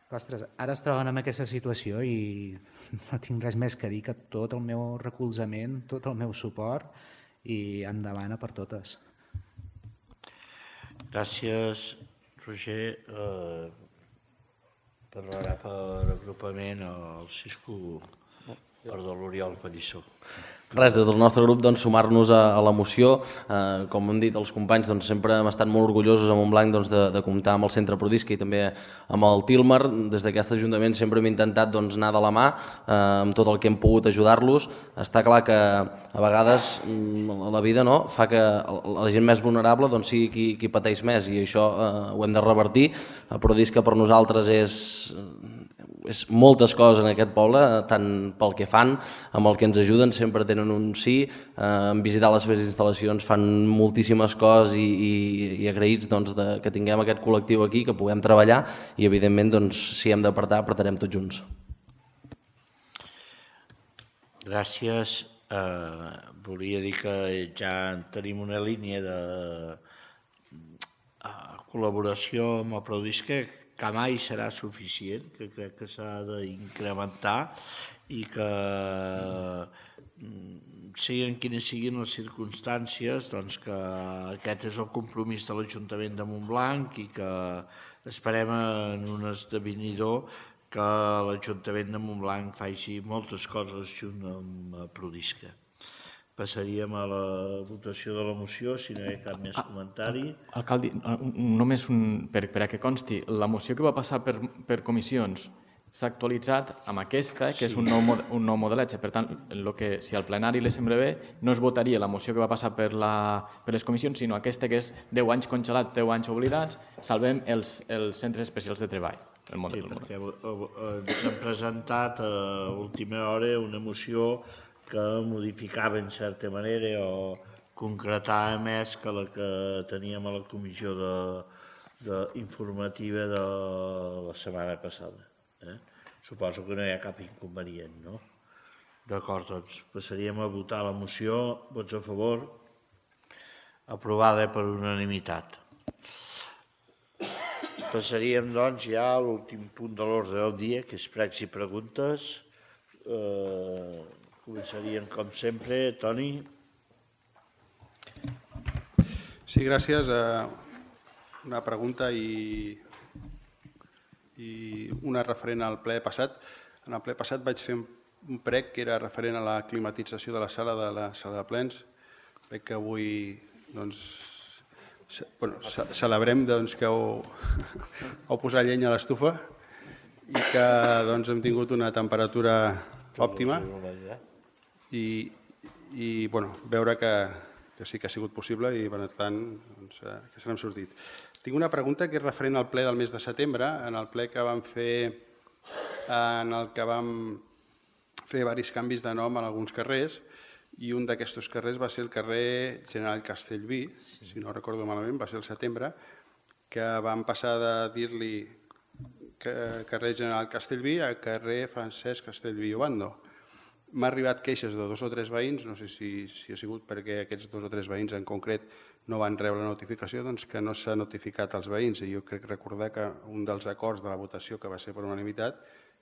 ostres, ara es troben en aquesta situació i no tinc res més que dir que tot el meu recolzament, tot el meu suport i endavant a per totes. Gràcies, Roger. Parlarà per agrupament el Cisco, perdó, l'Oriol Pallissó. Res, des del nostre grup sumar-nos a la moció. Com hem dit els companys, sempre hem estat molt orgullosos a Montblanc de comptar amb el Centre Prodisca i també amb el Tilmar. Des d'aquest Ajuntament sempre hem intentat anar de la mà amb tot el que hem pogut ajudar-los. Està clar que a vegades la vida fa que la gent més vulnerable sigui qui pateix més i això ho hem de revertir. El Prodisca per nosaltres és moltes coses en aquest poble, tant pel que fan, amb el que ens ajuden, sempre tenen un sí, en visitar les seves instal·lacions fan moltíssimes coses i agraïts que tinguem aquest col·lectiu aquí, que puguem treballar i evidentment si hem d'apartar, apartarem tots junts. Gràcies. Volia dir que ja tenim una línia de col·laboració amb el Prodisca que mai serà suficient, que crec que s'ha d'incrementar i que siguin quines siguin les circumstàncies, que aquest és el compromís de l'Ajuntament de Montblanc i que esperem en un esdevenidor que l'Ajuntament de Montblanc faci moltes coses junt amb Prodisca. Passaríem a la votació de la moció, si no hi ha cap més comentari. Alcalde, només per a que consti, la moció que va passar per comissions s'ha actualitzat amb aquesta, que és un nou modelatge. Per tant, si al plenari li sembla bé, no es votaria la moció que va passar per les comissions, sinó aquesta que és 10 anys congelats, 10 anys oblidats, salvem els centres especials de treball. Sí, perquè ens han presentat a última hora una moció que modificava en certa manera o concretava més que la que teníem a la comissió informativa de la setmana passada. Suposo que no hi ha cap inconvenient, no? D'acord, doncs passaríem a votar la moció. Vots a favor? Aprovada per unanimitat. Passaríem, doncs, ja a l'últim punt de l'ordre del dia, que és pregs i preguntes. Començaríem, com sempre, Toni. Sí, gràcies. Una pregunta i una referent al ple passat. En el ple passat vaig fer un prec que era referent a la climatització de la sala de plens. Crec que avui celebrem que heu posat llenya a l'estufa i que hem tingut una temperatura òptima i veure que sí que ha sigut possible i, per tant, que se n'hem sortit. Tinc una pregunta que és referent al ple del mes de setembre, en el ple que vam fer, en el que vam fer diversos canvis de nom en alguns carrers, i un d'aquests carrers va ser el carrer General Castellví, si no recordo malament, va ser el setembre, que vam passar de dir-li carrer General Castellví a carrer Francesc Castellví i Obando. M'ha arribat queixes de 2 o 3 veïns, no sé si ha sigut perquè aquests 2 o 3 veïns en concret no van rebre la notificació, doncs que no s'ha notificat als veïns. I jo crec recordar que un dels acords de la votació, que va ser per unanimitat,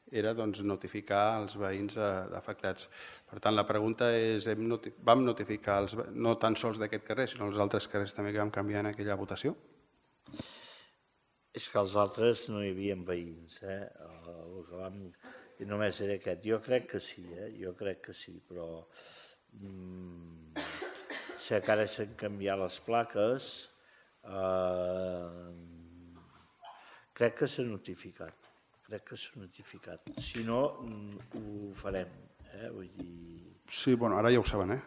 era notificar els veïns afectats. Per tant, la pregunta és, vam notificar no tan sols d'aquest carrer, sinó els altres carrers també que vam canviar en aquella votació? És que els altres no hi havia veïns, i només era aquest. Jo crec que sí, però sé que ara s'han canviat les plaques, crec que s'ha notificat. Si no, ho farem. Sí, ara ja ho saben,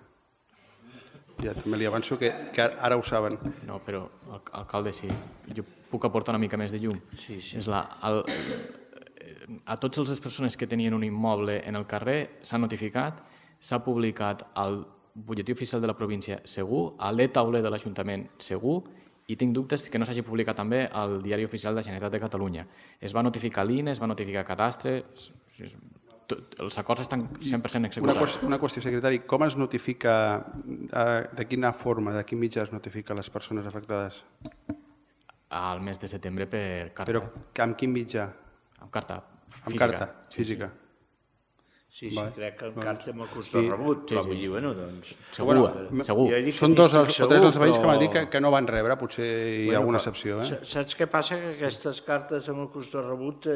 Ja també li avanço que ara ho saben. No, però, alcalde, si jo puc aportar una mica més de llum. Sí. A totes les persones que tenien un immoble en el carrer s'ha notificat, s'ha publicat al butlletí oficial de la província segur, a l'e-tauler de l'Ajuntament segur, i tinc dubtes que no s'hagi publicat també al Diari Oficial de la Generalitat de Catalunya. Es va notificar l'INE, es va notificar Cadastre, els acords estan 100% executats. Una qüestió, secretari, com es notifica, de quina forma, de quin mitjà es notifica a les persones afectades? Al mes de setembre per carta. Però amb quin mitjà? Amb carta física. Amb carta física. Sí, crec que amb carta amb el curs de rebut, però vull dir, doncs... Segur. Són 2 o 3 els veïns que m'han dit que no van rebre, potser hi ha alguna excepció. Saps què passa? Que aquestes cartes amb el curs de rebut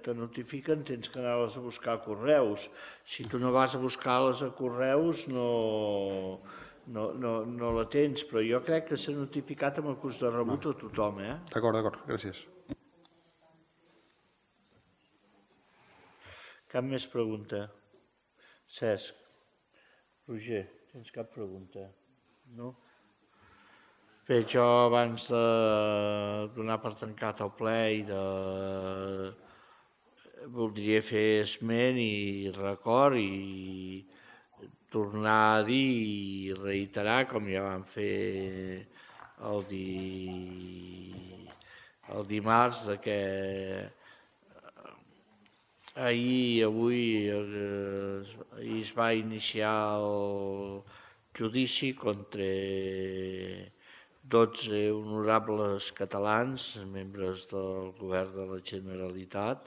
te notifiquen, tens que anar-les a buscar a correus. Si tu no vas a buscar-les a correus, no la tens, però jo crec que s'ha notificat amb el curs de rebut a tothom. D'acord, gràcies. Cap més pregunta? Cesc, Roger, tens cap pregunta? No? Bé, jo abans de donar per tancat el ple voldria fer esment i record i tornar a dir i reiterar, com ja vam fer el dimarts, que ahir es va iniciar el judici contra 12 honorables catalans, membres del govern de la Generalitat,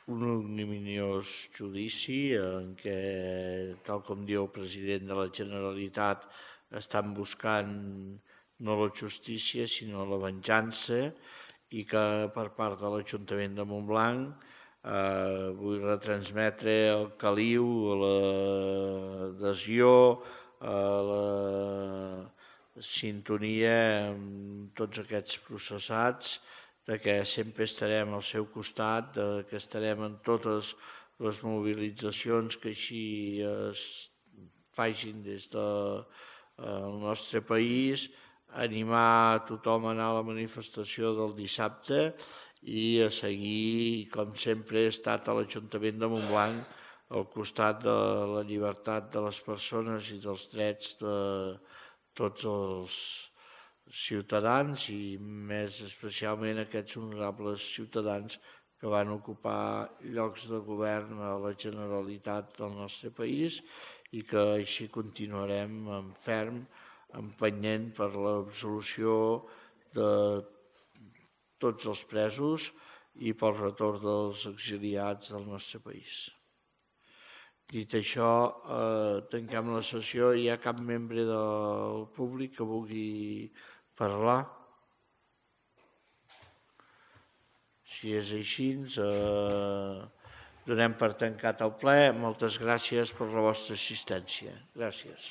un ignominiós judici en què, tal com diu el president de la Generalitat, estan buscant no la justícia sinó la venjança, i que per part de l'Ajuntament de Montblanc vull retransmetre el caliu, l'adhesió, la sintonia amb tots aquests processats, que sempre estarem al seu costat, que estarem en totes les mobilitzacions que així es facin des del nostre país, animar tothom a anar a la manifestació del dissabte i a seguir, com sempre, he estat a l'Ajuntament de Montblanc al costat de la llibertat de les persones i dels drets de tots els ciutadans i més especialment aquests honorables ciutadans que van ocupar llocs de govern a la Generalitat del nostre país i que així continuarem en ferm, empenyent per l'absolució de tots els presos i pel retorn dels exiliats del nostre país. Dit això, tanquem la sessió. Hi ha cap membre del públic que vulgui parlar? Si és així, donem per tancat el ple. Moltes gràcies per la vostra assistència. Gràcies.